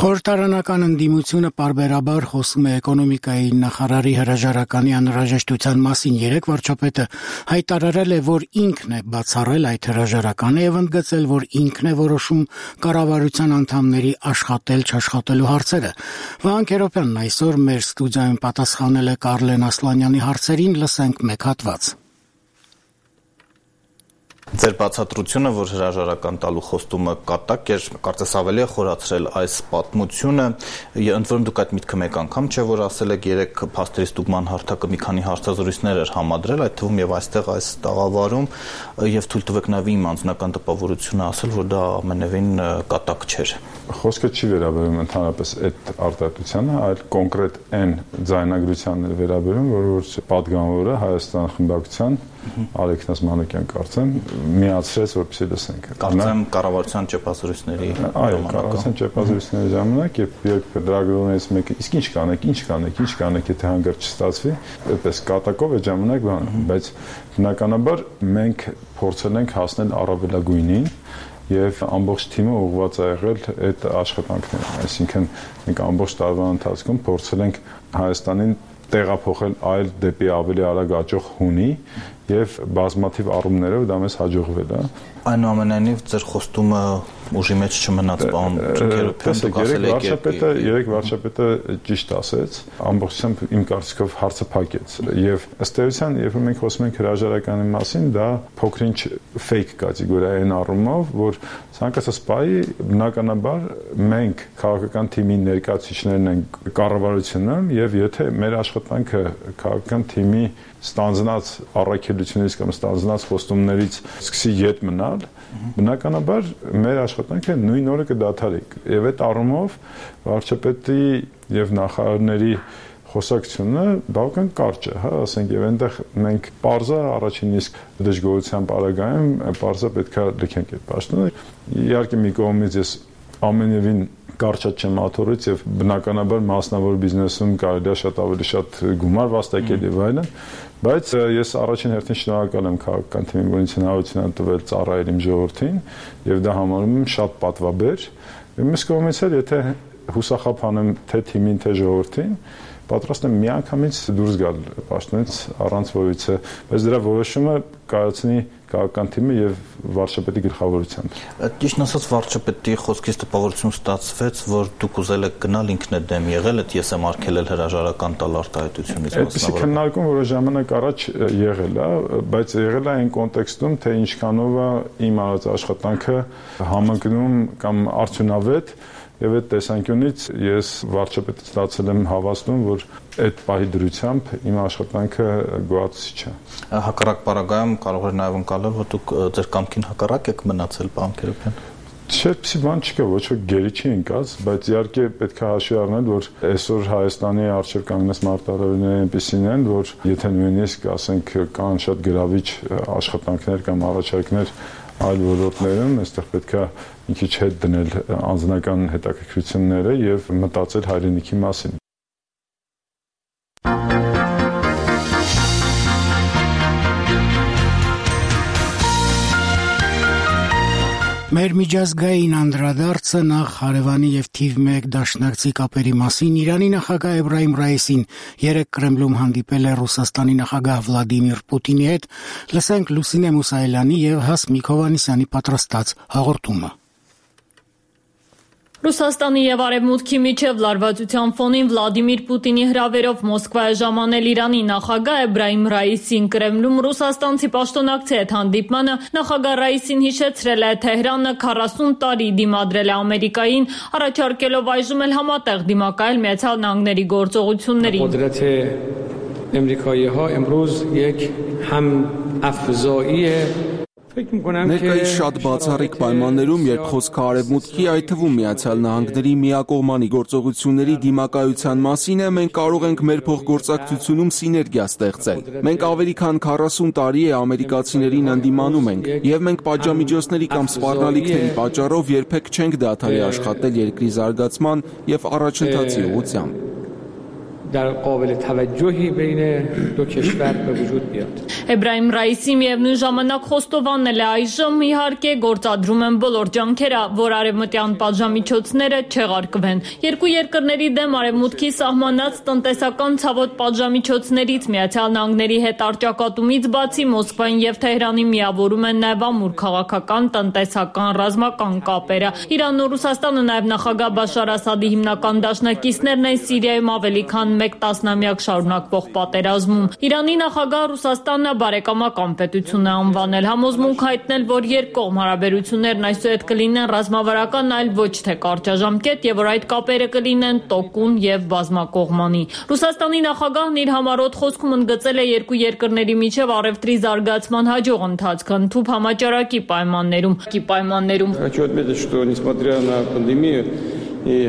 Խորհրդարանական ընդդիմությունը պարբերաբար խոսում է էկոնոմիկայի նախարարի հրաժարականի անհրաժեշտության մասին։ Երեկ վարչապետը հայտարարել է, որ ինքն է բացառել այդ հրաժարականը եւ ընդգծել, որ ինքն է որոշում կառավարության անդամների աշխատել-չաշխատելու հարցերը։ Վահան Քերոբյանն այսօր մեր ստուդիայում պատասխանել է Կարլեն Ասլանյանի հարցերին, լսենք մեկ հատված։ Ձեր բացատրությունը, որ հրաժարական տալու խոստումը կատակ էր, կարծես ավելի է խորացրել այս պատմությունը։ Ընդ որում դուք այդ միտքը մեկ անգամ չէ, որ ասել եք երեք փաստերի ստուգման հարթակը մի քանի հարցազրույցներ էր համադրել, այդ թվում եւ այստեղ այս տաղավարում, եւ թույլ տվեք նաեւ իմ անձնական տպավորությունը ասել, որ դա ամենևին կատակ չէր։ Խոսքը չի վերաբերում ընդհանրապես այդ արտահայտությանը, այլ կոնկրետ այն ձայնագրությանն է վերաբերում, որ որ պատգամավորը Հայաստան խմբակցության Ալեքսանդր Մանուկյան կարծեմ միացրեց, որպեսզի լսենք։ Կարծեմ կառավարության ճեպազրույցների այո, կառավարության ճեպազրույցների ժամանակ երբ լրագրողներից մեկը իսկ ինչ կանեք, ինչ կանեք, ինչ կանեք, եթե հանգարց չստացվի, այդպես կատակով այդ ժամանակ բան, բայց բնականաբար մենք փորձել ենք հասնել առավելագույնին եւ ամբողջ թիմը ուղղված է եղել այդ աշխատանքներին, այսինքն մենք ամբողջ տարվա ընթացքում փորձել ենք Հայաստանին տեղափոխել այլ դեպի ավելի արագ աճող հունի եւ բազմաթիվ առումներով դա մեզ հաջողվել է։ Այնուամենայնիվ ձեր խոստումը ուժի մեջ չմնաց, պարոն Քերոբյան, վարչապետը երեք վարչապետը ճիշտ ասեց, ամբողջությամբ իմ կարծիքով հարցը փակեց եւ ըստ էության, երբ մենք խոսում ենք հրաժարականի մասին, դա փոքրինչ ֆեյք կատեգորիա է այն առումով, որ ցանկացած պահի բնականաբար մենք քաղաքական թիմի ներկայացուցիչներն ենք կառավարությունում եւ եթե մեր աշխատանքը քաղաքական թիմի ստանձնած առաքելությունից կամ ստանձնած խոստումներից սկսի ետ մնալ, բնականաբար մեր աշխատանքը նույն օրը կդադարի եւ այդ առումով վարչապետի եւ նախարարների խոսակցությունը բավական կարճ է, հա, ասենք եւ այնտեղ մենք parza առաջին իսկ դժգոհության պարագայում parza պետքա լքենք այդ պաշտոնը։ Իհարկե մի կողմից ես ամենևին կարճատ չեմ աթորից եւ բնականաբար մասնավոր բիզնեսում կարելի է շատ ավելի շատ գումար վաստակել եւ այլն, բայց ես առաջին հերթին շնորհակալ եմ քաղաքական թիմին, որ ինձ հնարավորություն տվել ծառայել իմ ժողովրդին եւ դա համարում եմ շատ պատվաբեր։ Մյուս կողմից էլ եթե հուսախաբ անեմ թե թիմին, թե ժողովրդին, պատրաստ եմ միանգամից դուրս գալ պաշտոնից առանց որևիցե, բայց դրա որոշումը կայացնի քաղաքական թիմը եւ վարչապետի գլխավորությամբ։ Ճիշտ ասած վարչապետի խոսքից տպավորություն ստացվեց, որ դուք ուզել եք գնալ ինքնըդեմ եղել, այդ ես եմ արգելել հրաժարական տալ արտահայտությունից մասնավորապես։ Այդպիսի քննարկում, որը ժամանակ առաջ եղել է, բայց եղել է այն կոնտեքստում, թե ինչքանով է իմ արած աշխատանքը համընկնում կամ արդյունավետ։ Եվ այդ տեսանկյունից ես վարչապետից ստացել եմ հավաստում, որ այդ պահի դրությամբ իմ աշխատանքը գոհացուցիչ է։ Հակառակ պարագայում կարող է նաև ընկալել, որ դուք ձեր կամքին հակառակ եք մնացել, պարոն Քերոբյան։ Չէ, բան չկա, ոչ ոք գերի չի ընկած, բայց իհարկե պետք է հաշվի առնել, որ այսօր Հայաստանի առջև կանգնած մարտահրավերները այնպիսին են, որ եթե նույնիսկ ասենք կան շատ գրավիչ աշխատանքներ կամ առաջարկներ այլ ոլորտներում, այստեղ պետք է մի քիչ հետ դնել անձնական հետաքրքրությունները եւ մտածել հայրենիքի մասին։ Մեր միջազգային անդրադարձը նախ հարևանի եւ թիվ մեկ դաշնակցի կապերի մասին Իրանի նախագահ Էբրահիմ Ռայիսին երեկ Կրեմլում հանդիպել է Ռուսաստանի նախագահ Վլադիմիր Պուտինի հետ, լսենք Լուսինե Մուսայելյանի եւ Հասմիկ Հովհաննիսյանի պատրաստած հաղորդումը։ Ռուսաստանի եւ Արևմուտքի միջև լարվածության ֆոնին Վլադիմիր Պուտինի հրավերով Մոսկվա է ժամանել Իրանի նախագահ Էբրահիմ Ռայիսին Կրեմլում ռուսաստանցի պաշտոնակցի հետ հանդիպմանը նախագահ Ռայիսին հիշեցրել է Թեհրանը քառասուն տարի դիմադրել է Ամերիկային, առաջարկելով այժմ էլ համատեղ դիմակայել Միացյալ Նահանգների գործողություններին։ قدرت امریکایی ها امروز یک هم افزایی Ներկայիս շատ բացառիկ պայմաններում, երբ խոսքը Արևմուտքի, այդ թվում Միացյալ Նահանգների միակողմանի գործողությունների դիմակայության մասին է, մենք կարող ենք մեր փոխգործակցությունում սիներգիա ստեղծել։ Մենք ավելի քան քառասուն տարի է ամերիկացիներին ընդդիմանում ենք, եւ մենք պատժամիջոցների կամ սպառնալիքների պատճառով երբեք չենք դադարի աշխատել երկրի զարգացման եւ առաջընթացի ուղղությամբ։ در قابل توجهی بین دو کشور به وجود بیاد. Էբրահիմ Ռայիսի միևնույն ժամանակ խոստովանել է այժմ իհարկե գործադրում են բոլոր ջանքերը, որ արևմտյան պատժամիջոցները չեղարկվեն։ Երկու երկրների դեմ Արևմուտքի սահմանած տնտեսական ցավոտ պատժամիջոցներից Միացյալ Նահանգների հետ արճակատումից բացի Մոսկվային եւ Թեհրանի միավորում են նաեւ ամուր քաղաքական, տնտեսական, ռազմական կապերը։ Իրանն ու Ռուսաստանը նաեւ նախագահ Բաշար Ասադի հիմնական դաշնակիցներն են Սիրիայում ավելի քան մեկ տասնամյակ շարունակվող պատերազմում։ Իրանի նախագահ Ռուսաստանը բարեկամական պետություն է անվանել, համոզմունք հայտնել, որ երկկողմ հարաբերություններն այսուհետ կլինեն ռազմավարական, այլ ոչ թե կարճաժամկետ եւ որ այդ կապերը կլինեն տոկուն եւ բազմակողմանի։ Ռուսաստանի նախագահն իր համառոտ խոսքում ընդգծել է երկու երկրների միջև առևտրի զարգացման հաջող ընթացքը ընդհանուր համաճարակի պայմաններում։ Պայմաններում Хочу отметить, что несмотря на пандемию и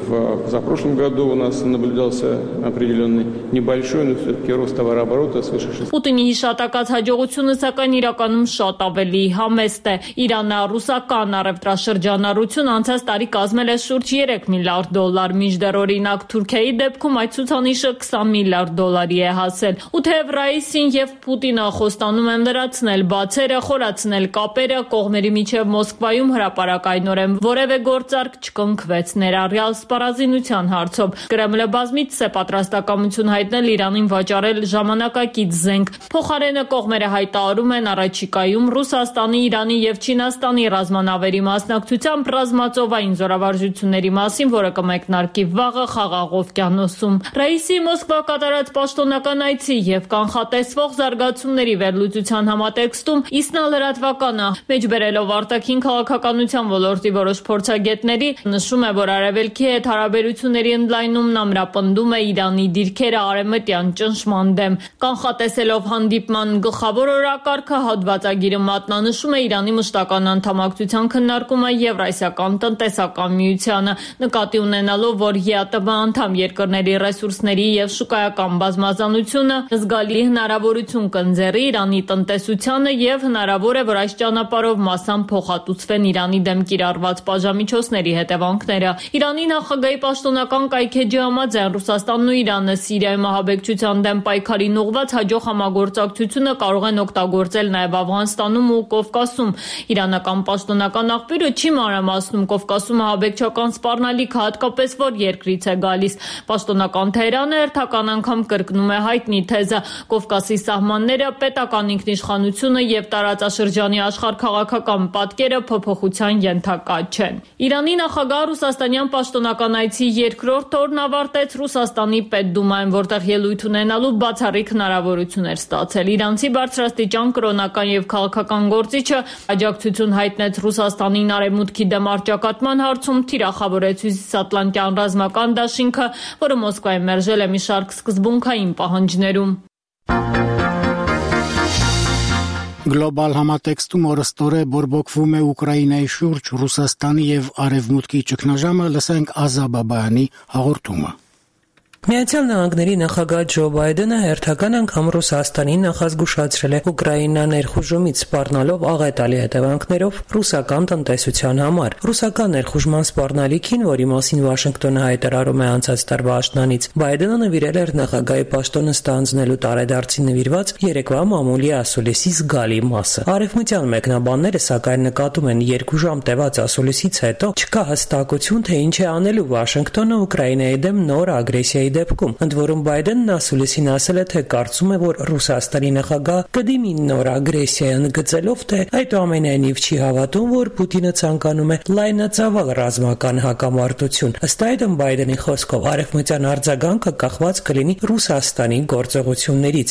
в позапрошлом году у нас наблюдался определенный небольшой, но все-таки рост товарооборота свыше шести. Պուտինի հիշատակած հաջողությունը սակայն իրականում շատ ավելի համեստ է։ Իրանա-ռուսական առևտրաշրջանառություն անցած տարի կազմել է շուրջ երեք միլիարդ դոլար, մինչդեռ օրինակ Թուրքիայի դեպքում այդ ցուցանիշը քսան միլիարդ դոլարի է հասել։ Ու թեև Ռայիսին եւ Պուտինը խոստանում են լրացնել բացերը, խորացնել կապերը, կողմերի միջև Մոսկվայում հրապարակայնորեն որևէ գործարք չկնքվեց ներառյալ սպառազինության հարցով։ Կրեմլը բազմիցս է պատրաստակամություն հայտնել Իրանին վաճառել ժամանակակից զենք։ Փոխարենը կողմերը հայտարարում են առաջիկայում Ռուսաստանի, Իրանի եւ Չինաստանի ռազմանավերի մասնակցությամբ ռազմածովային զորավարժությունների մասին, որը կմեկնարկի վաղը Խաղաղ օվկիանոսում։ Ռայիսի Մոսկվա կատարած պաշտոնական այցի եւ կանխատեսվող զարգացումների վերլուծության համատեքստում Իսնա լրատվականը մեջբերելով արտաքին քաղաքականության ոլորտի որոշ փորձագետների նշում է, որ Արևելքի հետ հարաբերությունների ընդլայնումն ամրապնդում է Իրանի դիրքերը արևմտյան ճնշման դեմ։ Կանխատեսելով հանդիպման գլխավոր օրակարգը, հոդվածագիրը մատնանշում է Իրանի մշտական անդամակցության քննարկումը Եվրասիական տնտեսական միությանը, նկատի ունենալով, որ ԵԱՏՄ անդամ երկրների ռեսուրսների եւ շուկայական բազմազանությունը զգալի հնարավորություն կընձեռի Իրանի տնտեսությանը եւ հնարավոր է, որ այս ճանապարհով մասամբ փոխհատուցվեն Իրանի դեմ կիրառված պատժամիջոցների հետևանքները։ Իրանի նախագահի պաշտոնական կայքեջի համաձայն Ռուսաստանն ու Իրանը Սիրիայում ահաբեկչության դեմ պայքարին ուղղված հաջող համագործակցությունը կարող են օգտագործել նաև Աֆղանստանում ու Կովկասում։ Իրանական պաշտոնական աղբյուրը չի մանրամասնում Կովկասում ահաբեկչական սպառնալիքը հատկապես որ երկրից է գալիս։ Պաշտոնական Թեհրանը հերթական անգամ կրկնում է հայտնի թեզը՝ Կովկասի սահմանները, պետական ինքնիշխանությունը եւ տարածաշրջանի աշխարհքաղաքական պատկերը փոփոխության ենթակա չեն։ Իրանի նախագահ ռուսաստանյան պաշտոնական այցի երկրորդ օրն ավարտեց Ռուսաստանի Պետդումայում, որտեղ ելույթ ունենալու բացառիկ հնարավորություն էր ստացել։ Իրանցի բարձրաստիճան կրոնական եւ քաղաքական գործիչը աջակցություն հայտնեց Ռուսաստանին արևմուտքի դեմ առճակատման հարցում, թիրախավորեց Հյուսիսատլանտյան ռազմական դաշինքը, որը Մոսկվայի մերժել է մի շարք սկզբունքային պահանջներում։ Գլոբալ համատեքստում օրստորե բորբոքվում է Ուկրաինայի շուրջ Ռուսաստանի եւ Արևմուտքի ճգնաժամը, լսենք Ազա Բաբայանի հաղորդումը։ Միացյալ Նահանգների նախագահ Ջո Բայդենը հերթական անգամ Ռուսաստանին նախազգուշացրել է Ուկրաինա ներխուժումից սպառնալով աղետալի հետևանքներով ռուսական տնտեսության համար։ Ռուսական ներխուժման սպառնալիքին, որի մասին Վաշինգտոնը հայտարարում է անցած տարվա աշնանից, Բայդենը նվիրել էր նախագահի պաշտոնը ստանձնելու տարեդարձին նվիրված երեկվա մամուլի ասուլիսի զգալի մասը։ Արևմտյան մեկնաբանները սակայն նկատում են երկու ժամ տևած ասուլիսից հետո չկա հստակություն, թե ինչ է անելու Վաշինգտոնը Ուկրաինայի դեմ նոր ագրեսիայի դեպքում, ընդ որում Բայդենն ասուլիսին ասել է, թե կարծում է, որ Ռուսաստանի նախագահ կդիմի նոր ագրեսիա, ընդգծելով, թե այդուամենայնիվ չի հավատում, որ Պուտինը ցանկանում է լայնածավալ ռազմական հակամարտություն։ Ըստ այդմ Բայդենի խոսքով արևմտյան արձագանքը կախված կլինի Ռուսաստանի գործողություններից։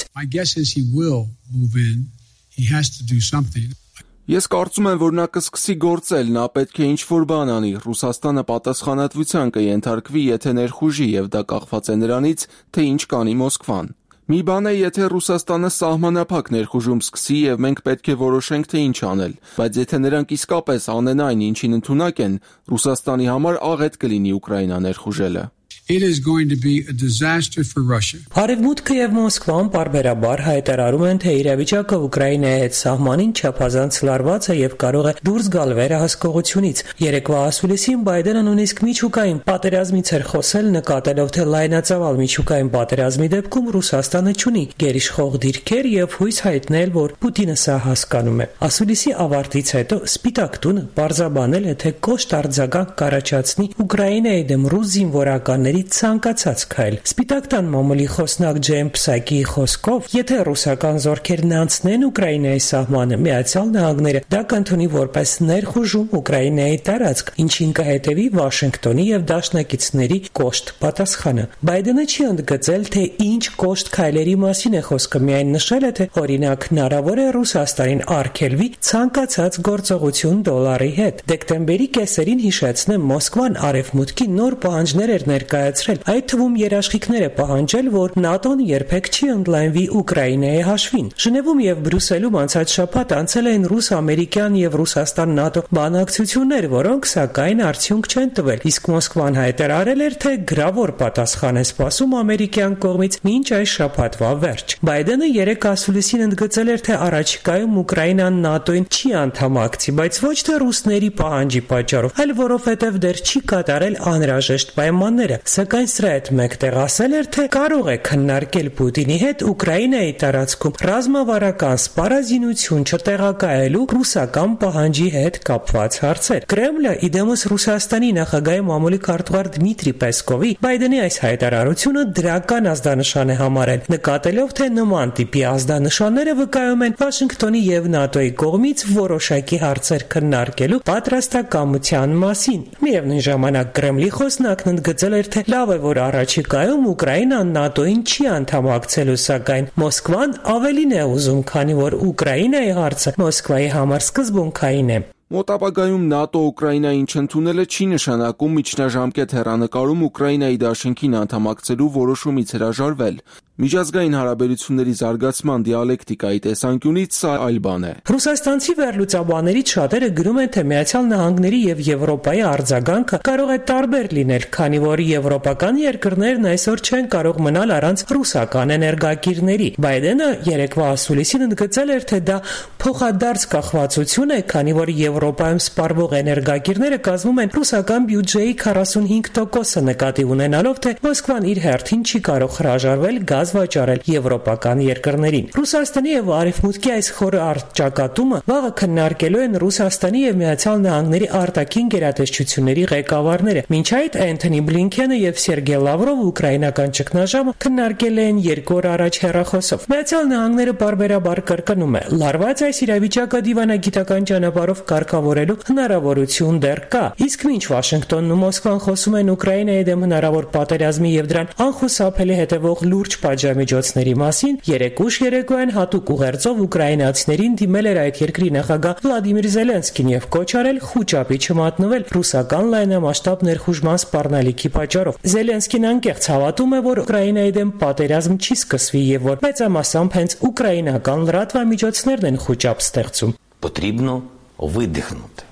Ես կարծում եմ, որ նա կսկսի գործել, նա պետք է ինչ-որ բան անի, Ռուսաստանը պատասխանատվության կենթարկվի, եթե ներխուժի, եւ դա կախված է նրանից, թե ինչ կանի Մոսկվան։ Մի բան է, եթե Ռուսաստանը սահմանափակ ներխուժում սկսի եւ մենք պետք է որոշենք, թե ինչ անել, բայց եթե նրանք իսկապես անեն այն, ինչին ընդունակ են, Ռուսաստանի համար աղետ կլինի Ուկրաինա ներխուժելը։ It is going to be a disaster for Russia. Արևմուտքը եւ Մոսկվան պարբերաբար հայտարարում են, թե իրավիճակը Ուկրաինայի հետ սահմանին չափազանց լարված է եւ կարող է դուրս գալ վերահսկողությունից։ Երեկվա ասուլիսին Բայդենը նույնիսկ միջուկային պատերազմից էր խոսել, նկատելով, թե լայնածավալ միջուկային պատերազմի դեպքում Ռուսաստանը չունի գերիշխող դիրքեր եւ հույս հայտնել, որ Պուտինը սա հասկանում է։ Ասուլիսի ավարտից հետո Սպիտակ տունը պարզաբանել է, թե կոշտ արձագանք կառաջացնի Ուկրաինայի դեմ ռուս զինվորականների ցանկացած քայլ։ Սպիտակ տան մամուլի խոսնակ Ջեյմ Փսակիի խոսքով, եթե ռուսական զորքերն անցնեն Ուկրաինայի սահմանը, Միացյալ Նահանգները դա կընդունի որպես ներխուժում Ուկրաինայի տարածք, ինչին կհետևի Վաշինգտոնի եւ դաշնակիցների կոշտ պատասխանը։ Բայդենը չի ընդգծել, թե ինչ կոշտ քայլերի մասին է խոսքը, միայն նշել է, թե օրինակ հնարավոր է Ռուսաստանին արգելվի ցանկացած գործողություն դոլարի հետ։ Դեկտեմբերի կեսերին հիշեցնեմ, Մոսկվան արևմուտքի նոր պահանջներ էր ներկայացրել, այդ թվում երաշխիքներ է պահանջել, որ ՆԱՏՕ-ն երբեք չի ընդլայնվի Ուկրաինայի հաշվին։ Ժնևում եւ Բրյուսելում անցած շաբաթ անցել էին ռուս-ամերիկյան եւ Ռուսաստան-ՆԱՏՕ բանակցություններ, որոնք սակայն արդյունք չեն տվել, իսկ Մոսկվան հայտարարել էր, թե գրավոր պատասխան է սպասում ամերիկյան կողմից մինչ այս շաբաթվա վերջ։ Բայդենը երեք ասուլիսին ընդգծել էր, թե առաջիկայում Ուկրաինան ՆԱՏՕ-ին չի անդամակցի, բայց ոչ թե ռուսների պահանջի պատճառով, այլ որովհետեւ դեռ չի կատարել անհրաժեշտ պայմանները։ Սակայն սրա հետ մեկտեղ ասել էր, թե կարող է քննարկել Պուտինի հետ Ուկրաինայի տարածքում ռազմավարական սպառազինություն չտեղակայելու ռուսական պահանջի հետ կապված հարցեր։ Կրեմլը իդեմս Ռուսաստանի նախագահի մամուլի քարտուղար Դմիտրի Պեսկովի Բայդենի այս հայտարարությունը դրական ազդանշան է համարել, նկատելով, թե նման տիպի ազդանշանները վկայում են Վաշինգտոնի եւ ՆԱՏՕ-ի կողմից որոշակի հարցեր քննարկելու պատրաստակամության մասին։ Միևնույն ժամանակ Կրեմլի խոսնակն ընդգծել էր, թե լավ է, որ առաջիկայում Ուկրաինան ՆԱՏՕ-ին չի անդամակցելու, սակայն Մոսկվան ավելին է ուզում, քանի որ Ուկրաինայի հարցը Մոսկվայի համար սկզբունքային է։ Մոտ ապագայում ՆԱՏՕ Ուկրաինային չընդունելը չի նշանակում միջնաժամկետ հեռանկարում Ուկրաինայի դաշինքին անդամակցելու որոշումից հրաժարվել։ Միջազգային հարաբերությունների զարգացման դիալեկտիկայի տեսանկյունից սա այլ բան է։ Ռուսաստանցի վերլուծաբաններից շատերը գրում են, թե Միացյալ Նահանգների եւ Եվրոպայի արձագանքը կարող է տարբեր լինել, քանի որ եվրոպական երկրներն այսօր չեն կարող մնալ առանց ռուսական էներգակիրների։ Բայդենը երեկվա ասուլիսին ընդգծել էր, թե դա փոխադարձ կախվածություն է, քանի որ Եվրոպայում սպառվող էներգակիրները կազմում են ռուսական բյուջեի քառասունհինգ տոկոսը, նկատի ունենալով, թե Մոսկվան իր հերթին չի կարող հրաժարվել գազ վաճառել եվրոպական երկրներին։ Ռուսաստանի եւ Արևմուտքի այս խորը առճակատումը վաղը քննարկելու են Ռուսաստանի եւ Միացյալ Նահանգների արտաքին գերատեսչությունների ղեկավարները։ Մինչ այդ Էնթոնի Բլինքենը եւ Սերգեյ Լավրովը ուկրաինական ճգնաժամը քննարկել են երկու օր առաջ հեռախոսով։ Միացյալ Նահանգները բարբերաբար կրկնում է. լարված այս իրավիճակը դիվանագիտական ճանապարհով կարգավորելու հնարավորություն դեռ կա։ Իսկ մինչ Վաշինգտոնն ու Մոսկվան խոսում են Ուկրաինայի դեմ հնարավոր պատերազմի եւ դրան անխուսափելի հետևող լուրջ պատժամիջոցների մասին, երեք ուշ երեկոյան հատուկ ուղերձով ուկրաինացիներին դիմել էր այդ երկրի նախագահ Վլադիմիր Զելենսկին եւ կոչ արել խուճապի չմատնվել ռուսական լայնամասշտաբ ներխուժման սպառնալիքի պատճառով։ Զելենսկին անկեղծ հավատում է, որ Ուկրաինայի դեմ պատերազմ չի սկսվի եւ որ մեծամասամբ հենց ուկրաինական լրատվամիջոցներն են խուճապ ստեղծում։ Потрібно видихнути,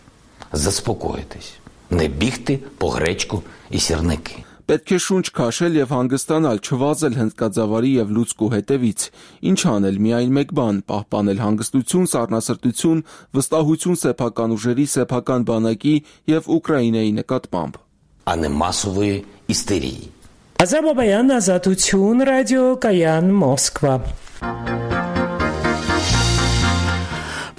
заспокоїтись, не бігти по гречку і сірники. Պետք է շունչ քաշել եւ հանգստանալ, չվազել հնդկաձավարի եւ լուցկու հետևից։ Ինչ անել, միայն մեկ բան՝ պահպանել հանգստություն, սառնասրտություն, վստահություն սեփական ուժերի, սեփական բանակի եւ Ուկրաինայի նկատմամբ։ А не масової істерії. Ազարբայջան ազատություն ռադիոկայան Մոսկվա։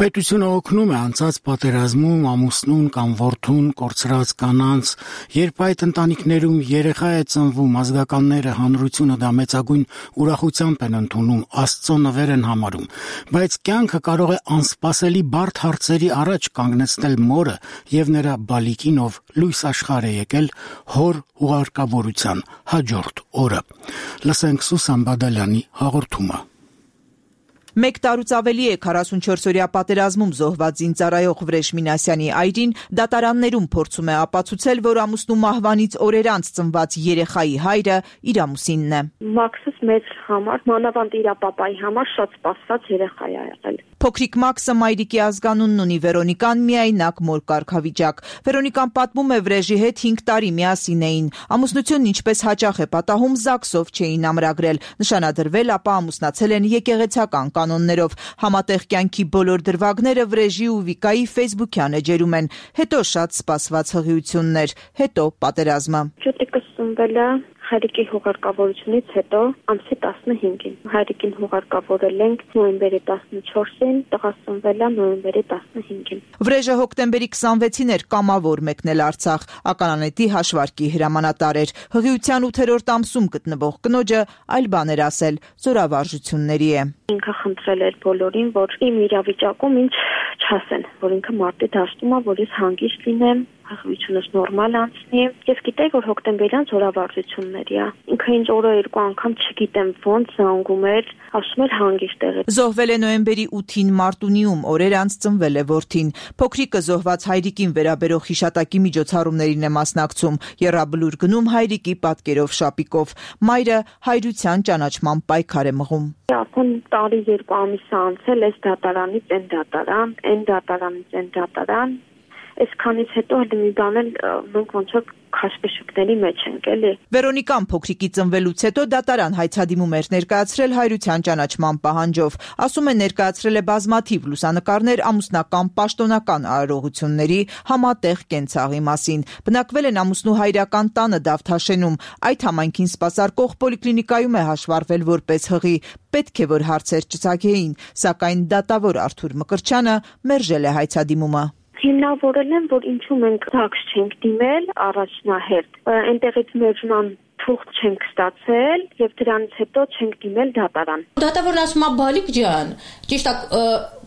Պետությունը օգնում է անցած պատերազմում ամուսնուն կամ որդուն կորցրած կանանց, երբ այդ ընտանիքներում երեխա է ծնվում, ազգականները, հանրությունը դա մեծագույն ուրախությամբ են ընդունում, Աստծո նվեր են համարում, բայց կյանքը կարող է անսպասելի բարդ հարցերի առաջ կանգնեցնել մորը եւ նրա բալիկին, ով լույս աշխարհ է եկել հոր ուղարկավորության հաջորդ օրը։ Լսենք Սուսան Բադալյանի հաղորդումը։ Մեկ տարուց ավելի է քառասունչորսօրյա պատերազմում զոհված զինծառայող Վրեժ Մինասյանի այրին դատարաններում փորձում է ապացուցել, որ ամուսնու մահվանից օրեր անց ծնված երեխայի հայրը իր ամուսինն է։ Մաքսս մեծ համար, մանավանդ իր պապայի համար շատ սպասված երեխա է եղել։ Փոքրիկ Մաքսը մայրիկի ազգանունն ունի, Վերոնիկան միայնակ մոր կարգավիճակ։ Վերոնիկան պատմում է Վրեժի հետ հինգ տարի միասին էին։ Ամուսնությունն ինչպես հաճախ է պատահում, ԶԱԳՍ-ով չէին ամրագրել, նշանադրվել, ապա ամուսնացել են եկեղեցական կանոններով։ Համատեղ կյանքի բոլոր դրվագները Վրեժի ու Վիկայի ֆեյսբուքյան էջերում են։ Հետո շատ սպասված հղիություններ, հետո պատերազմը։ Ճուտիկս ծնվել է հայրիկի հուղարկավորությունից հետո ամսի տասնհինգին։ Հայրիկին հուղարկավորել ենք նոյեմբերի տասնչորսին, տղաս ծնվել է նոյեմբերի տասնհինգին։ Վրեժը հոկտեմբերի քսանվեցին էր կամավոր մեկնել Արցախ, ականանետի հաշվարկի հրամանատար էր։ Հղիության ութերորդ ամսում գտնվող կնոջը այլ բան էր ասել, զորավարժությունների է։ Ինքը խնդրել էր բոլորին, որ իմ իրավիճակում ինձ չասեն, որ ինքը մարտի դաշտում է, որ ես հանգիստ լինեմ, հղիությունս նորմալ անցնի։ Ես գիտեի, որ հոկտեմբերյան զորավարժությունների է։ Ինքը ինձ օրը երկու անգամ չգիտեմ ոնց զանգում էր, ասում էր հանգիստ եղեք։ Զոհվել է նոյեմբերի ութին Մարտունիում, օրեր անց ծնվել է որդին։ Փոքրիկը զոհված հայրիկին վերաբերող հիշատակի միջոցառումներին է մասնակցում, եռաբլուր գնում հայրիկի պատկերով շապիկով։ Մայրը հայրության ճանաչման պայքար է մղում։ Արդեն տարի երկու ամիս անցել, այս դատարանից այն դատարան, այն դատարանից այն դատարան։ Այսքանից հետո հələ մի բան էլ մենք ոնց որ քաշքշուկների մեջ ենք, էլի։ Վերոնիկան փոքրիկի ծնվելուց հետո դատարան հայցադիմում էր ներկայացրել հայրության ճանաչման պահանջով։ Ասում է ներկայացրել է բազմաթիվ լուսանկարներ ամուսնական պաշտոնական արարողությունների, համատեղ կենցաղի մասին։ Բնակվել են ամուսնու հայրական տանը Դավթաշենում։ Այդ համայնքին սպասարկող պոլիկլինիկայում է հաշվառվել որպես հղի։ Պետք է որ հարցեր չծագեին, սակայն դատավոր Արթուր Մկրտչյանը մերժել է հայցադիմումը։ Հիմնավորել են, որ ինչու մենք ԶԱԳՍ չենք դիմել առաջնահերթ, այնտեղից մերժման թուղթ չենք ստացել եւ դրանից հետո չենք դիմել դատարան։ Դատավորն ասում է բալիկ ջան, ճիշտ է,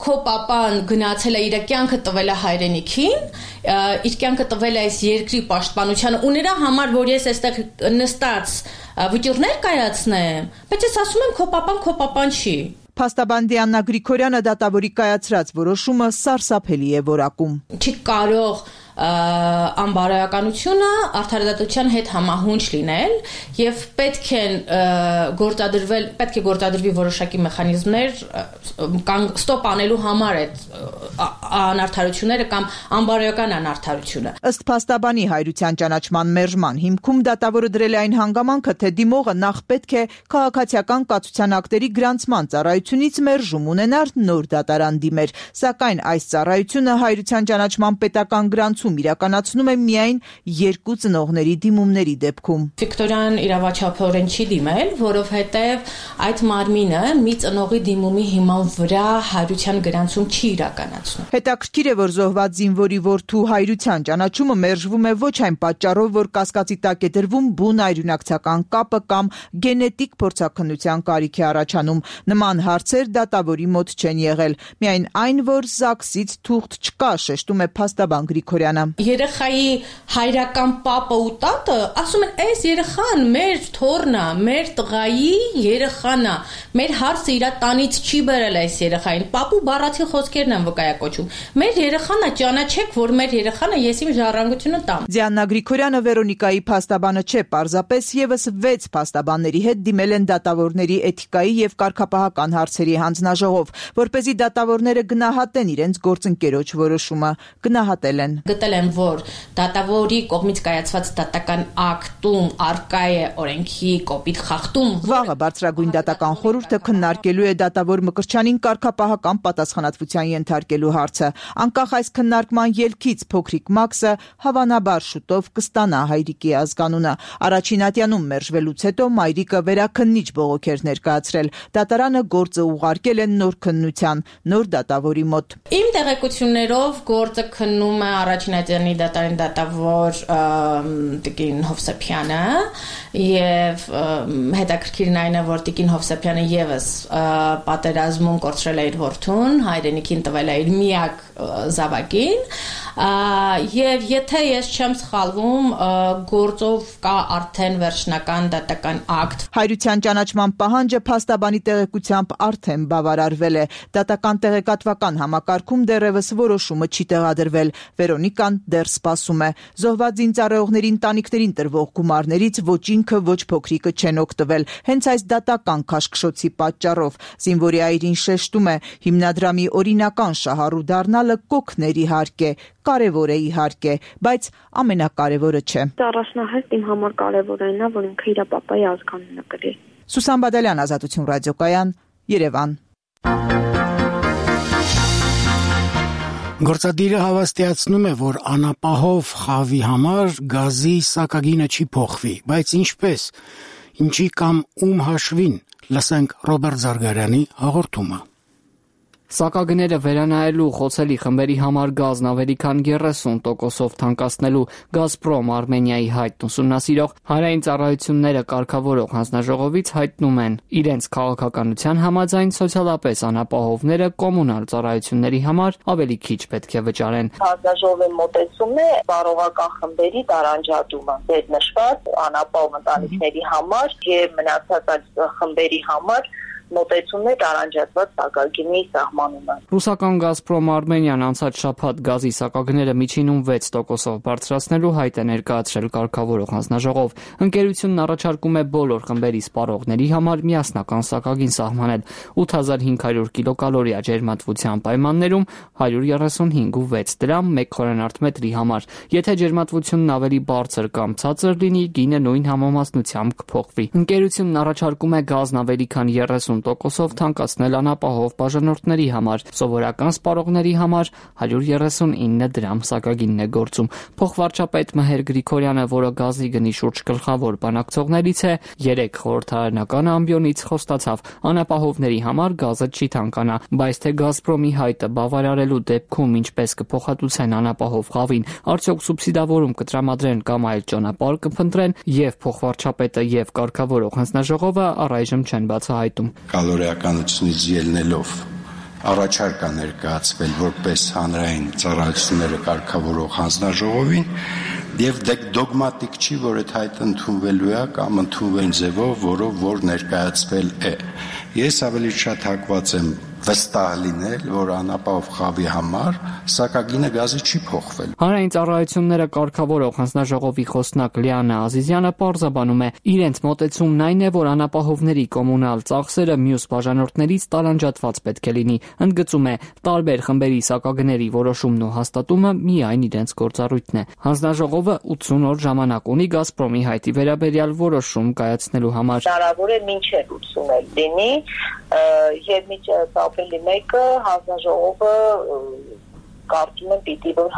քո papan գնացել է իր կյանքը տվել է հայրենիքին, իր կյանքը տվել է այս երկրի պաշտպանությանը ու նրա համար, որ ես այստեղ նստած վճիռներ կայացնեմ, բայց ես ասում եմ քո papan քո papan չի։ Փաստաբանդի Աննա Գրիգորյանը դատավորի կայացրած որոշումը սարսափելի է որակում։ Չի կարող անբարոյականությունը արդարադատության հետ համահունչ լինել եւ պետք է գործադրվել, պետք է գործադրվի որոշակի մեխանիզմներ կամ ստոպ անելու համար այդ անարդարությունները կամ անբարոյական անարդարությունը։ Ըստ փաստաբանի Հայրության ճանաչման մերժման հիմքում դատավորը դրել է այն հանգամանքը, թե դիմողը նախ պետք է քաղաքացիական կացության ակտերի գրանցման ծառայությունից մերժում ունենար նոր դատարան դիմեր, սակայն այս ծառայությունը Հայրության ճանաչման պետական գրանցում իրականացնում է միայն երկու ծնողների դիմումների դեպքում։ Վիկտորյան իրավաչափորեն չի դիմել, որովհետև այդ մարմինը մի ծնողի դիմումի հիման վրա Հայրության գրանցում չի իրականացնում։ Հետաքրքիր է, որ զոհված զինվորի որդու Հայրության ճանաչումը մերժվում է ոչ այն պատճառով, որ կասկածի տակ է դրվում բուն այրունակցական կապը կամ գենետիկ փորձաքննության կարիք է առաջանում։ Նման հարցեր դատավորի մոտ չեն եղել, միայն այն, որ ԶԱԳՍ-ից թուղթ չկա, շեշտում է փաստաբան Գրիգորյանը։ Երեխայի հայրական պապը ու տատը ասում են, այս երեխան մեր թոռն է, մեր տղայի երեխան է, մեր հարցը իր տանից չի բերել այս երեխային, պապու բառացի խոսքերն են վկայակոչում, մեր երեխան է, ճանաչեք, որ մեր երեխան է, ես իմ ժառանգությունը տամ։ Դիանա Գրիգորյանը Վերոնիկայի փաստաբանը չէ, պարզապես եւս վեց փաստաբանների հետ դիմել են դատավորների էթիկայի եւ կարգապահական հարցերի հանձնաժողով, որպեսզի դատավորները գնահատեն իրենց գործընկերոջ որոշումը, գնահատել են։ Գտել են, որ դատավորի կողմից կայացված դատական ակտում արկա է օրենքի կոպիտ խախտում։ Վաղը բարձրագույն դատական խորհուրդը քննարկելու է դատավոր Մկրտչյանին կարգապահական պատասխանատվության ենթարկելու հարցը։ Անկախ այս քննարկման ելքից փոքրիկ Մաքսը հավանաբար շուտով կստանա հայրիկի ազգանունը։ Առաջին ատյանում մերժվելուց հետո մայրիկը վերաքննիչ բողոք էր ներկայացրել։ Դատարանը գործը ուղարկել է նոր քննության, նոր դատավորի մոտ։ Իմ տեղեկություններով գործը քննում է առաջին ատյանի դատարանի դատավոր Տիկին Հովսեփյանը եւ հետաքրքիրն այն է, որ Տիկին Հովսեփյանը եւս պատերազմում կորցրել է իր որդուն, հայրենիքին տվել է իր միակ զավակին, եւ եթե ես չեմ սխալվում, գործով կա արդեն վերջնական դատական ակտ։ Հայրության ճանաչման պահանջը փաստաբանի տեղեկությամբ արդեն բավարարվել է։ Դատական տեղեկատվական համակարգում դեռևս որոշումը չի տեղադրվել։ Վերոնիկան դեռ սպասում է։ Զոհված զինծառայողների ընտանիքներին տրվող գումարներից ոչ ինքը, ոչ փոքրիկը չեն օգտվել, հենց այս դատական քաշքշոցի պատճառով։ Զինվորի այրին շեշտում է, հիմնադրամի օրինական շահառու դառնալը կօգներ իհարկե, կարևոր է իհարկե, բայց ամենակարևորը չէ։ Առաջնահերթ իմ համար կարևորն է, որ ինքը իր պապայի ազգանունը կրի։ Սուսան Բադալյան, Ազատություն ռադիոկայան, Երևան։ Գործադիրը հավաստիացնում է, որ անապահով խավի համար գազի սակագինը չի փոխվի, բայց ինչպես, ինչի կամ ում հաշվին, լսենք Ռոբերտ Զարգարյանի հաղորդումը։ Սակագները վերանայելու խոցելի խմբերի համար գազն ավելի քան երեսուն տոկոսով թանկացնելու Գազպրոմ Արմենիայի հայտն ուսումնասիրող հանրային ծառայությունները կարգավորող հանձնաժողովից հայտնում են, իրենց քաղաքականության համաձայն սոցիալապես անապահովները կոմունալ ծառայությունների համար ավելի քիչ պետք է վճարեն։ Հանձնաժողովի մոտեցումն է բարողական խմբերի տարանջատումը, դեր նշված անապահով ընտանիքների համար եւ մնացած խմբերի համար մոտեցումն է տարանջատված սակագինի սահմանումը։ Ռուսական Գազպրոմ Արմենիան անցած շաբաթ գազի սակագները միջինում վեց տոկոսով բարձրացնելու հայտ է ներկայացրել կարգավորող հանձնաժողով։ Ընկերությունն առաջարկում է բոլոր խմբերի սպառողների համար միասնական սակագին սահմանել ութ հազար հինգ հարյուր կիլոկալորիա ջերմատվության պայմաններում հարյուր երեսունհինգ ու վեց դրամ մեկ խորանարդ մետրի համար։ Եթե ջերմատվությունն ավելի բարձր կամ ցածր լինի, գինը նույն համամասնությամբ կփոխվի։ Ընկերությունն առաջարկում է գազն ավելի քան երեսուն տոկոսով թանկացնել անապահով բաժանորդների համար, սովորական սպառողների համար հարյուր երեսունինը դրամ սակագինն է գործում։ Փոխվարչապետ Մհեր Գրիգորյանը, որը գազի գնի շուրջ գլխավոր բանակցողներից է, երեք խորհրդարանական ամբիոնից խոստացավ, անապահովների համար գազը չի թանկանա, բայց թե Գազպրոմի հայտը բավարարելու դեպքում ինչպես կփոխհատուցեն անապահով խավին, արդյոք սուբսիդավորում կտրամադրեն կամ այլ ճանապարհ կփնտրեն, եւ փոխվարչապետը եւ կարգավորող հանձնաժողովը առայժմ չեն բացահայտում։ Կալորիականությունից ելնելով առաջարկ է ներկայացվել որպես հանրային ծառայությունները կարգավորող հանձնաժողովին եւ դոգմատիկ չի, որ այդ հայտը ընդունվելու է կամ ընդունվեն ձևով, որով որ ներկայացվել է։ Ես ավելի շատ հակված եմ վստահ լինել, որ անապահով խավի համար սակագինը գազի չի փոխվել։ Հանրային ծառայությունները կարգավորող հանձնաժողովի խոսնակ Լիանա Ազիզյանը պարզաբանում է, իրենց մոտեցումն այն է, որ անապահովների կոմունալ ծախսերը մյուս բաժանորդներից տարանջատված պետք է լինի։ Ընդգծում է, տարբեր խմբերի սակագների որոշումն ու հաստատումը միայն իրենց գործառույթն է։ Հանձնաժողովը ութսուն օր ժամանակ ունի Գազպրոմի հայտի վերաբերյալ որոշում կայացնելու համար։ Հնարավոր է մինչև ութսուն օր լինի, եւ միջև ապրիլի մեկը հանձնաժողովը կարծում եմ պիտի որ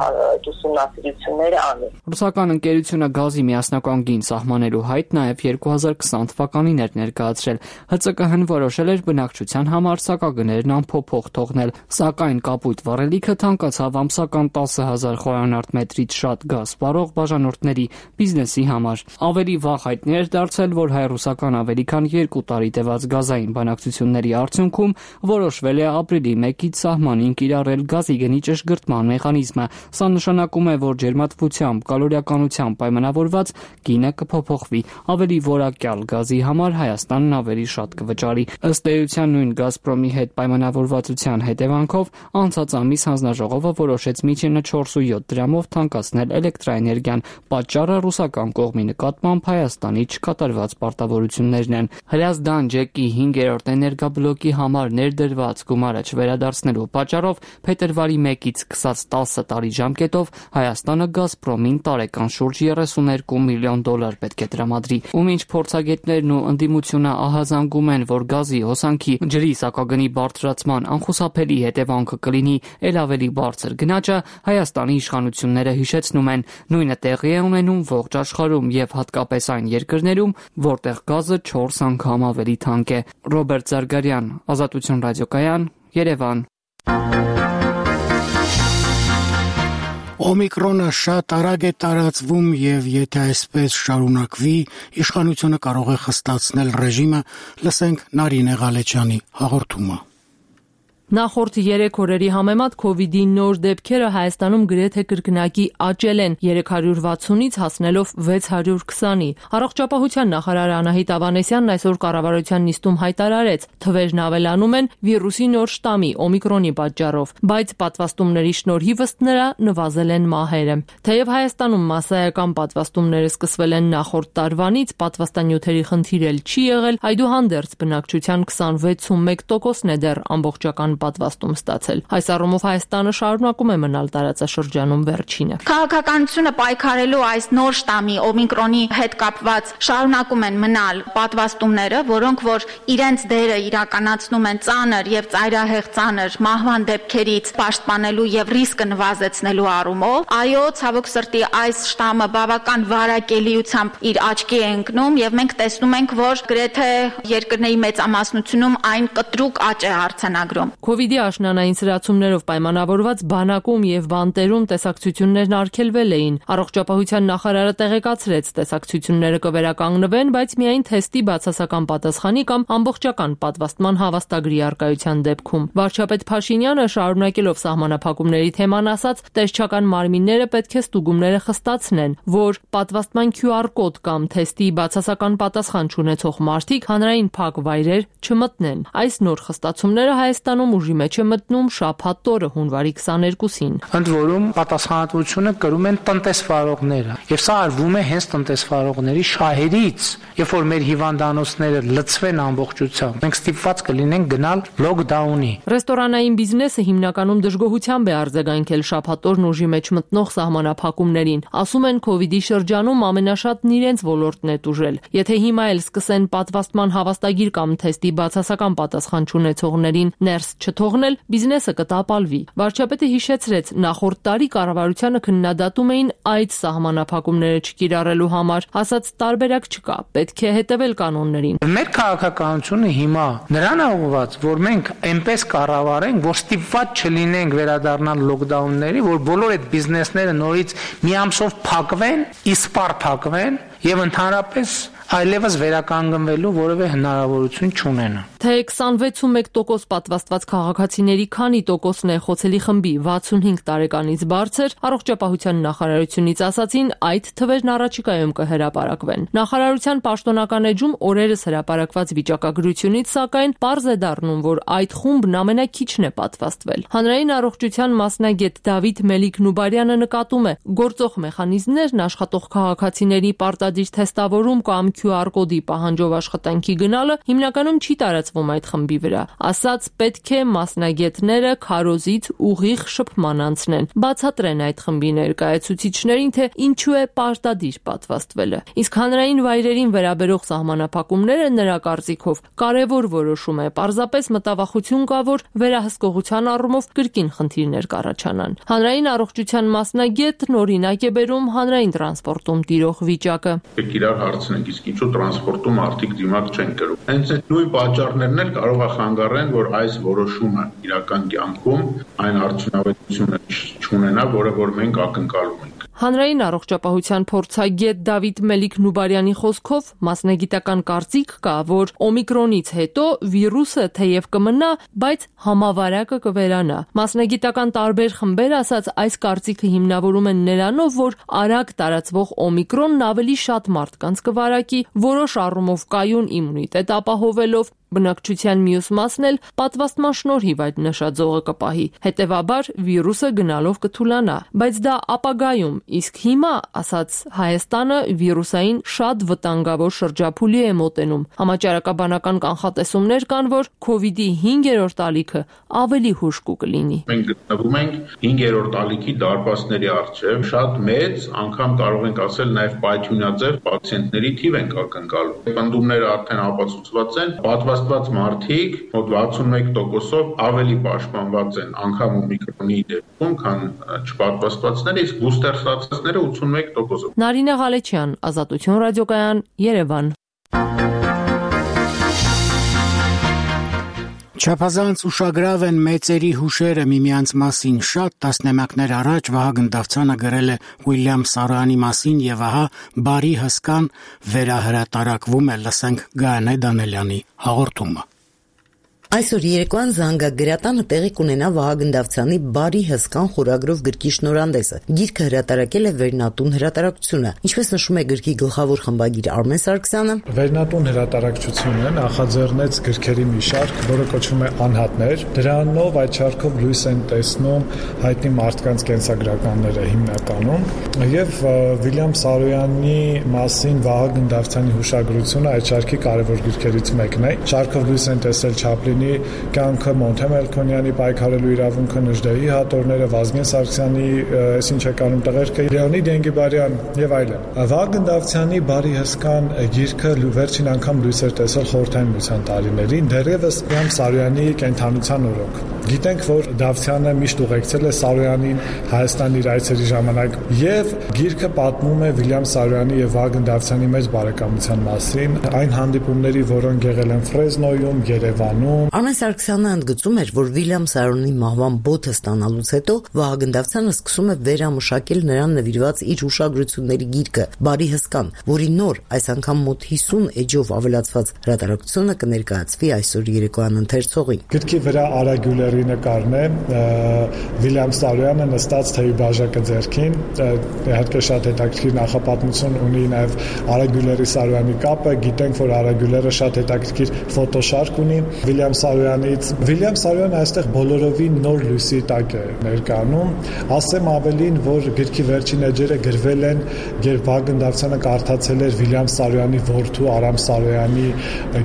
ուսումնասիրությունները անի։ Ռուսական ընկերությունը գազի միասնական գին սահմանելու հայտ նաև երկու հազար քսան թվականին էր ներկայացրել։ ՀՑԿՀ-ն որոշել էր բնակչության համար սակագներն անփոփոխ թողնել, սակայն կապույտ վառելիքը թանկացավ ամսական տասը հազար խորանարդ մետրից շատ գազ սպառող բաժանորդների բիզնեսի համար։ Ավելի վաղ հայտնի էր դարձել, որ հայ-ռուսական ավելի քան երկու տարի տևած գազային բանակցությունների արդյունքում որոշվել է ապրիլի մեկից սահմանին կիրառել գազի գնի ճշգրտման մեխանիզմը։ Սա նշանակում է, որ ջերմատվությամբ, կալորիականությամբ պայմանավորված գինը կփոփոխվի։ Ավելի որակյալ գազի համար Հայաստանն ավելի շատ կվճարի։ Ըստ էության նույն Գազպրոմի հետ պայմանավորվածության հետևանքով անցած ամիս հանձնաժողովը որոշեց միջինը չորս ու յոթ դրամով թանկացնել էլեկտրաէներգիան։ Պատճառը ռուսական կողմի նկատմամբ Հայաստանի չկատարված պարտավորություններն են։ Հրազդան ջեկի հինգերորդ էներգաբլոկի համար ներդրված գումարը չվերադարձնելու պատճառով փետրվարի մեկից սկսած տասը տարի ժամկետով Հայաստանը Գազպրոմին տարեկան շուրջ երեսուներկու միլիոն դոլար պետք է տրամադրի։ Ու մինչ փորձագետներն ու ընդդիմությունը ահազանգում են, որ գազի հոսանքի ջրի սակագնի բարձրացման անխուսափելի հետևանքը կլինի ել ավելի բարձր գնաճը, Հայաստանի իշխանությունները հիշեցնում են, նույնը տեղի է ունենում ողջ աշխարհում եւ հատկապես այն երկրներում, որտեղ գազը չորս անգամ ավելի թանկ է։ Ռոբերտ Զարգարյան, Ազատություն ռադիոկայան, Երևան։ Օմիկրոնը շատ արագ է տարածվում եւ եթե այսպես շարունակվի, իշխանությունը կարող է խստացնել ռեժիմը, լսենք Նարինե Ղալեչյանի հաղորդումը։ Նախորդ երեք օրերի համեմատ քովիդի նոր դեպքերը Հայաստանում գրեթե կրկնակի աճել են երեք հարյուր վաթսունից հասնելով վեց հարյուր քսանի։ Առողջապահության նախարար Անահիտ Ավանեսյանն այսօր կառավարության նիստում հայտարարեց, թվերն ավելանում են վիրուսի նոր շտամի օմիկրոնի պատճառով, բայց պատվաստումների շնորհիվ ըստ նրա նվազել են մահերը։ Թեև Հայաստանում մասսայական պատվաստումները սկսվել են նախորդ տարվանից, պատվաստանյութերի խնդիր էլ չի եղել, այդուհանդերձ բնակչության քսանվեց ու մեկ տոկոսն է դեռ ամբողջական պատվաստում ստացել։ Այս առումով Հայաստանը շարունակում է մնալ տարածաշրջանում վերջինը։ Քաղաքականությունը պայքարելու այս նոր շտամի օմիկրոնի հետ կապված շարունակում են մնալ պատվաստումները, որոնք որ իրենց դերը իրականացնում են ծանր եւ ծայրահեղ ծանր մահվան դեպքերից պաշտպանելու եւ ռիսկը նվազեցնելու առումով։ Այո, ցավոք սրտի այս շտամը բավական վարակելիությամբ իր աչքի է ընկնում եւ մենք տեսնում ենք, որ գրեթե երկրների մեծամասնությունում այն կտրուկ աճ է արձանագրում։ Քովիդի աշնանային սրացումներով պայմանավորված բանակում եւ բանտերում տեսակցություններն արգելվել էին։ Առողջապահության նախարարը տեղեկացրեց, տեսակցությունները կվերականգնվեն, բայց միայն թեստի բացասական պատասխանի կամ ամբողջական պատվաստման հավաստագրի առկայության դեպքում։ Վարչապետ Փաշինյանը շարունակելով սահմանափակումների թեման ասաց, տեսչական մարմինները պետք է ստուգումները խստացնեն, որ պատվաստման քյու ար կոդ կամ թեստի բացասական պատասխան չունեցող մարդիկ հանրային փակ վայրեր չմտնեն։ Այս նոր խստացումները Հայաստանում ուժի մեջ է մտնում շաբաթ օրը հունվարի քսաներկուսին։ Ընդ որում պատասխանատվությունը կրում են տնտեսվարողները, եւ սա արվում է հենց տնտեսվարողների շահերից, երբ որ մեր հիվանդանոցները լցվեն ամբողջությամբ, մենք ստիպված կլինենք գնալ լոկդաունի։ Ռեստորանային բիզնեսը հիմնականում դժգոհությամբ է արձագանքել շաբաթ օրն ուժի մեջ մտնող սահմանափակումներին։ Ասում են, քովիդի շրջանում ամենաշատն իրենց ոլորտն է տուժել։ Եթե հիմա էլ սկսեն պատվաստման հավաստագիր կամ թեստի բացասական պատասխան չունեցողներին ներս չթողնել, բիզնեսը կտապալվի։ Վարչապետը հիշեցրեց, նախորդ տարի կառավարությանը քննադատում էին այդ սահմանափակումները չկիրառելու համար, ասաց տարբերակ չկա, պետք է հետևել կանոններին։ Մեր քաղաքականությունը հիմա նրան է ուղղված, որ մենք այնպես կառավարենք, որ ստիպված չլինենք վերադառնալ լոկդաունների, որ բոլոր այդ բիզնեսները նորից մի ամսով փակվեն, իսպառ փակվեն եւ ընդհանրապես այլևս վերականգնվելու որևէ հնարավորություն չունենա։ Թե քսանվեց տոկոս պատվաստված քաղաքացիների քանի տոկոսն է խոցելի խմբի վաթսունհինգ տարեկանից բարձր, առողջապահության նախարարությունից ասացին, այդ թվերն առաջիկայում կհրապարակվեն։ Նախարարության պաշտոնական էջում օրերս հրապարակված վիճակագրությունից սակայն պարզ է դառնում, որ այդ խումբն ամենաքիչն է պատվաստվել։ Հանրային առողջության մասնագետ Դավիթ Մելիք-Նուբարյանը նկատում է, գործող մեխանիզմներն աշխատող քաղաքացիների պարտադիր թեստավորում կամ քյու ար կոդի պահանջով աշխատանքի գնալը հիմնականում չի տարածվում այդ խմբի վրա։ Ասած պետք է մասնագետները քարոզից ուղիղ շփման անցնեն, բացատրեն այդ խմբի ներկայացուցիչներին, թե ինչու է պարտադիր պատվաստվելը։ Իսկ հանրային վայրերին վերաբերող սահմանափակումները նրա կարծիքով կարևոր որոշում է, պարզապես մտավախություն կա, որ վերահսկողության առումով կրկին խնդիրներ կառաջանան։ Հանրային առողջության մասնագետն օրինակ է բերում հանրային տրանսպորտում տիրող վիճակը։ Իրար հարցնենք, իսկ ինչու տրանսպորտում արդիկ դիմակ չեն կրում։ Հենց այդ նույն պատճառներն էլ կարող է խանգարեն, որ այս որոշումը իրական կյանքում այն արդյունավետությունը չունենա, որը որ մենք ակնկալում ենք։ Հանրային առողջապահության փորձագետ Դավիթ Մելիք-Նուբարյանի խոսքով մասնագիտական կարծիք կա, որ օմիկրոնից հետո վիրուսը թեև կմնա, բայց համավարակը կվերանա։ Մասնագիտական տարբեր խմբեր ասած այս կարծիքը հիմնավորում են նրանով, որ արագ տարածվող օմիկրոնն ավելի շատ մարդկանց կվարակի, որոշ առումով կայուն իմունիտետ ապահովելով, բնակչության մյուս մասն էլ պատվաստման շնորհիվ այդ նշաձողը կպահի։ Հետևաբար վիրուսը գնալով կթուլանա, բայց դա ապագայում, իսկ հիմա, ասաց Հայաստանը, վիրուսային շատ վտանգավոր շրջափուլի է մոտենում։ Համաճարակաբանական կանխատեսումներ կան, որ քովիդի հինգերորդ ալիքը ավելի հուժկու կլինի։ Մենք գտնվում ենք հինգերորդ ալիքի դարպասների առջև, շատ մեծ, անգամ կարող ենք ասել նաև պայթյունաձև պացիենտների թիվ ենք ակնկալում։ Պնդումները արդեն ապացուցված են, պատվաստված մարդիկ մոտ վաթսունմեկ տոկոսով ավելի պաշտպանված են անգամ օմիկրոնի դեպքում, քան չպատվաստվածները, իսկ բուստեր ստացածները ութսունմեկ տոկոսով։ Նարինե Ղալեչյան, Ազատություն ռադիոկայան, Երևան։ Չափազանց ուշագրավ են մեծերի հուշերը միմյանց մասին։ Շատ տասնամյակներ առաջ Վահագն Դավթյանը գրել է Ուիլյամ Սարոյանի մասին եւ ահա բարի հսկան վերահրատարակվում է, լսենք Գայանե Դանելյանի հաղորդումը։ Այսօր երեկոյան Զանգագրատանը տեղի կունենա Վահագն Դավթյանի «Բարի հսկան» խորագրով գրքի շնորհանդեսը։ Գիրքը հրատարակել է Վերնատուն հրատարակչությունը։ Ինչպես նշում է գրքի գլխավոր խմբագիր Արմեն Սարգսյանը, Վերնատուն հրատարակչությունը նախաձեռնեց գրքերի մի շարք, որը կոչվում է Անհատներ։ Դրանով այդ շարքով լույս են տեսնում հայտնի մարդկանց կենսագրականները հիմնականում, եւ Ուիլյամ Սարոյանի մասին Վահագն Դավթյանի հուշագրությունը այդ շարքի կարևոր գրքերից մեկն է։ Շարքով լույս են տեսել Չապլինի կյանքը, Մոնթե Մելքոնյանի պայքարելու իրավունքը, Նժդեհի հատորները, Վազգեն Սարգսյանի այսինչ եկանում տղերքը, Լեոնիդ Ենգիբարյան եւ այլն։ Վահագն Դավթյանի «Բարի հսկան» գիրքը վերջին անգամ լույս էր տեսել խորհրդային միության տարիներին, դեռևս Ուիլյամ Սարոյանի կենթանության օրոք։ Գիտենք, որ Դավթյանը միշտ ուղեկցել է Սարոյանին Հայաստան իր այցերի ժամանակ, եւ գիրքը պատմում է Ուիլյամ Սարոյանի եւ Վահագն Դավթյանի մեծ բարեկամության մասին, այն հանդիպումների, որոնք եղել են Ֆրեզնոյում, Երևանում։ Արմեն Սարգսյանը ընդգծում էր, որ Ուիլյամ Սարոյանի մահվան բոթը ստանալուց հետո Վահագն Դավթյանը սկսում է վերամշակել նրան նվիրված իր հուշագրությունների գիրքը «Բարի հսկան», որի նոր, այս անգամ մոտ հիսուն էջով ավելացված հրատարակությունը կներկայացվի այսօր երեկոյան ընթերցողին։ Գրքի վրա Արագյուլերի նկարն է, Ուիլյամ Սարոյանը նստած թեյի բաժակը ձեռքին, իհարկե շատ հետաքրքիր նախապատմություն ունի նաև Արագյուլերի Սարոյանի կապը, գիտենք, որ Արագյուլերը շատ հետաքրքիր ֆոտոշարք ունի Ուիլյամ Սարոյանից։ Ուիլյամ Սարոյանը այստեղ բոլորովին նոր լույսի տակ է ներկայանում։ Ասեմ ավելին, որ գրքի վերջին էջերը գրվել են, երբ Վահագն Դավթյանը կարդացել էր Ուիլյամ Սարոյանի որդու Արամ Սարոյանի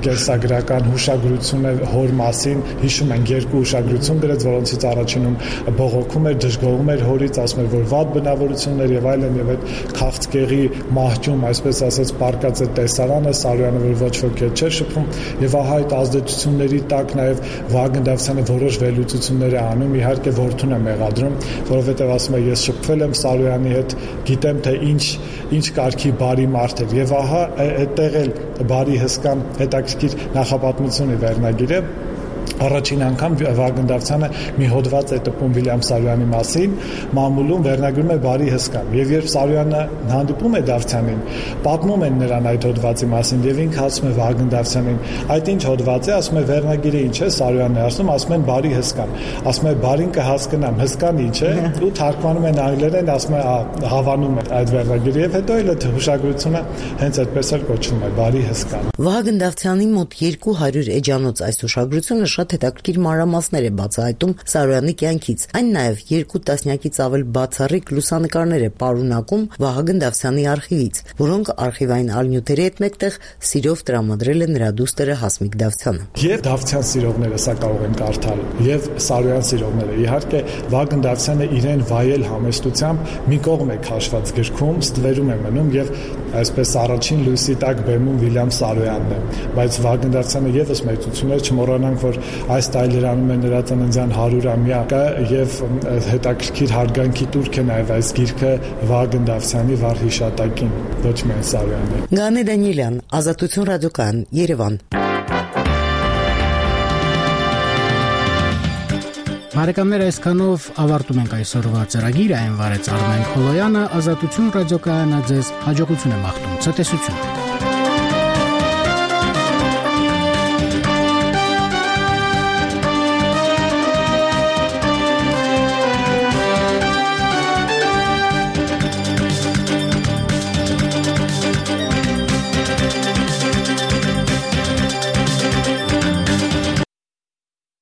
կենսագրական հուշագրությունը հոր մասին, հիշում ենք երկու հուշագրություն գրեց, որոնցից առաջինում բողոքում էր, դժգոհում էր հորից, ասում էր, որ վատ բնավորություններ եւ այլն, եւ այդ քաղցկեղի մահճում, այսպես ասած, պարկած է տեսարանը, Սարոյանը որ ոչ ոք չէր շփվում, եւ ահա այդ ազդեցությունների տակ նաեւ Վահագն Դավթյանը որոշ վերլուծություններ է անում, իհարկե որդուն է մեղադրում, որովհետեւ ասում է, ես շփվել եմ Սարոյանի հետ, գիտեմ թե ինչ ինչ կարգի բարի մարդ էր, եւ ահա այդտեղ էլ բարի հսկան հետաքրքիր նախապատմություն է վերնագիրը, առաջին անգամ Վագն Դավթյանը մի հոդված է տպում Վիլյամ Սարոյանի մասին, մամուլում վերնագրում է բարի հսկան։ Եվ երբ Սարոյանը հանդիպում է Դավթյանին, պատմում են նրան այդ հոդվածի մասին եւ ինքը ասում է Վագն Դավթյանին, այդ ինչ հոդված է, ասում է վերնագիրը ինչ է, Սարոյանն է ասում, ասում են բարի հսկան։ Ասում է բարին կհասկանամ, հսկան ինչ է, ու թարգմանում են անգլերեն, ասում է հավանում է այդ վերնագիրը եւ հետո էլ այդ հուշագրությունը հենց այդպես էլ կոչվում է բարի հսկան։ Վահագն Դավթյանի մոտ երկու հարյուր էջանոց այս հուշագրությունը շատ հետաքրքիր մանրամասներ է բացահայտում Սարոյանի կյանքից։ Այն նաև երկու տասնյակից ավել բացառիկ լուսանկարներ է պարունակում Վահագն Դավթյանի արխիվից, որոնք արխիվային ալնյութերի հետ մեկտեղ սիրով տրամադրել է նրա դուստերը Հասմիկ Դավթյանը։ Եվ Դավթյան սիրողները սա կարող են կարդալ, եւ Սարոյան սիրողները։ Իհարկե Վահագն Դավթյանը իրեն վայել համեստությամբ մի կողմ է քաշված գրքում, ստվերում է մնում եւ այսպես առաջին լույսի տակ բեմում Վիլյամ Սարոյանն է, բայց Վահագն Դավթյանը եւս մեծություն է, չմոռանանք, որ այս տարիներանում է նրա ծննդյան հարյուրամյակը եւ հետաքրքիր հարգանքի տուրք է նաեւ այս գիրքը Վահագն Դավթյանի վառ հիշատակին, ոչ միայն Սարոյանի։ Գանե Դանիելյան, Ազատություն ռադիոկայան, Երևան։ Բարեկամներ, այսքանով ավարտում ենք այսօրվա ծրագիրը, այն վարեց Արմեն Խոլոյանը, Ազատություն ռադիոկայանը ձեզ հաջողություն է մաղթում, ցտեսություն։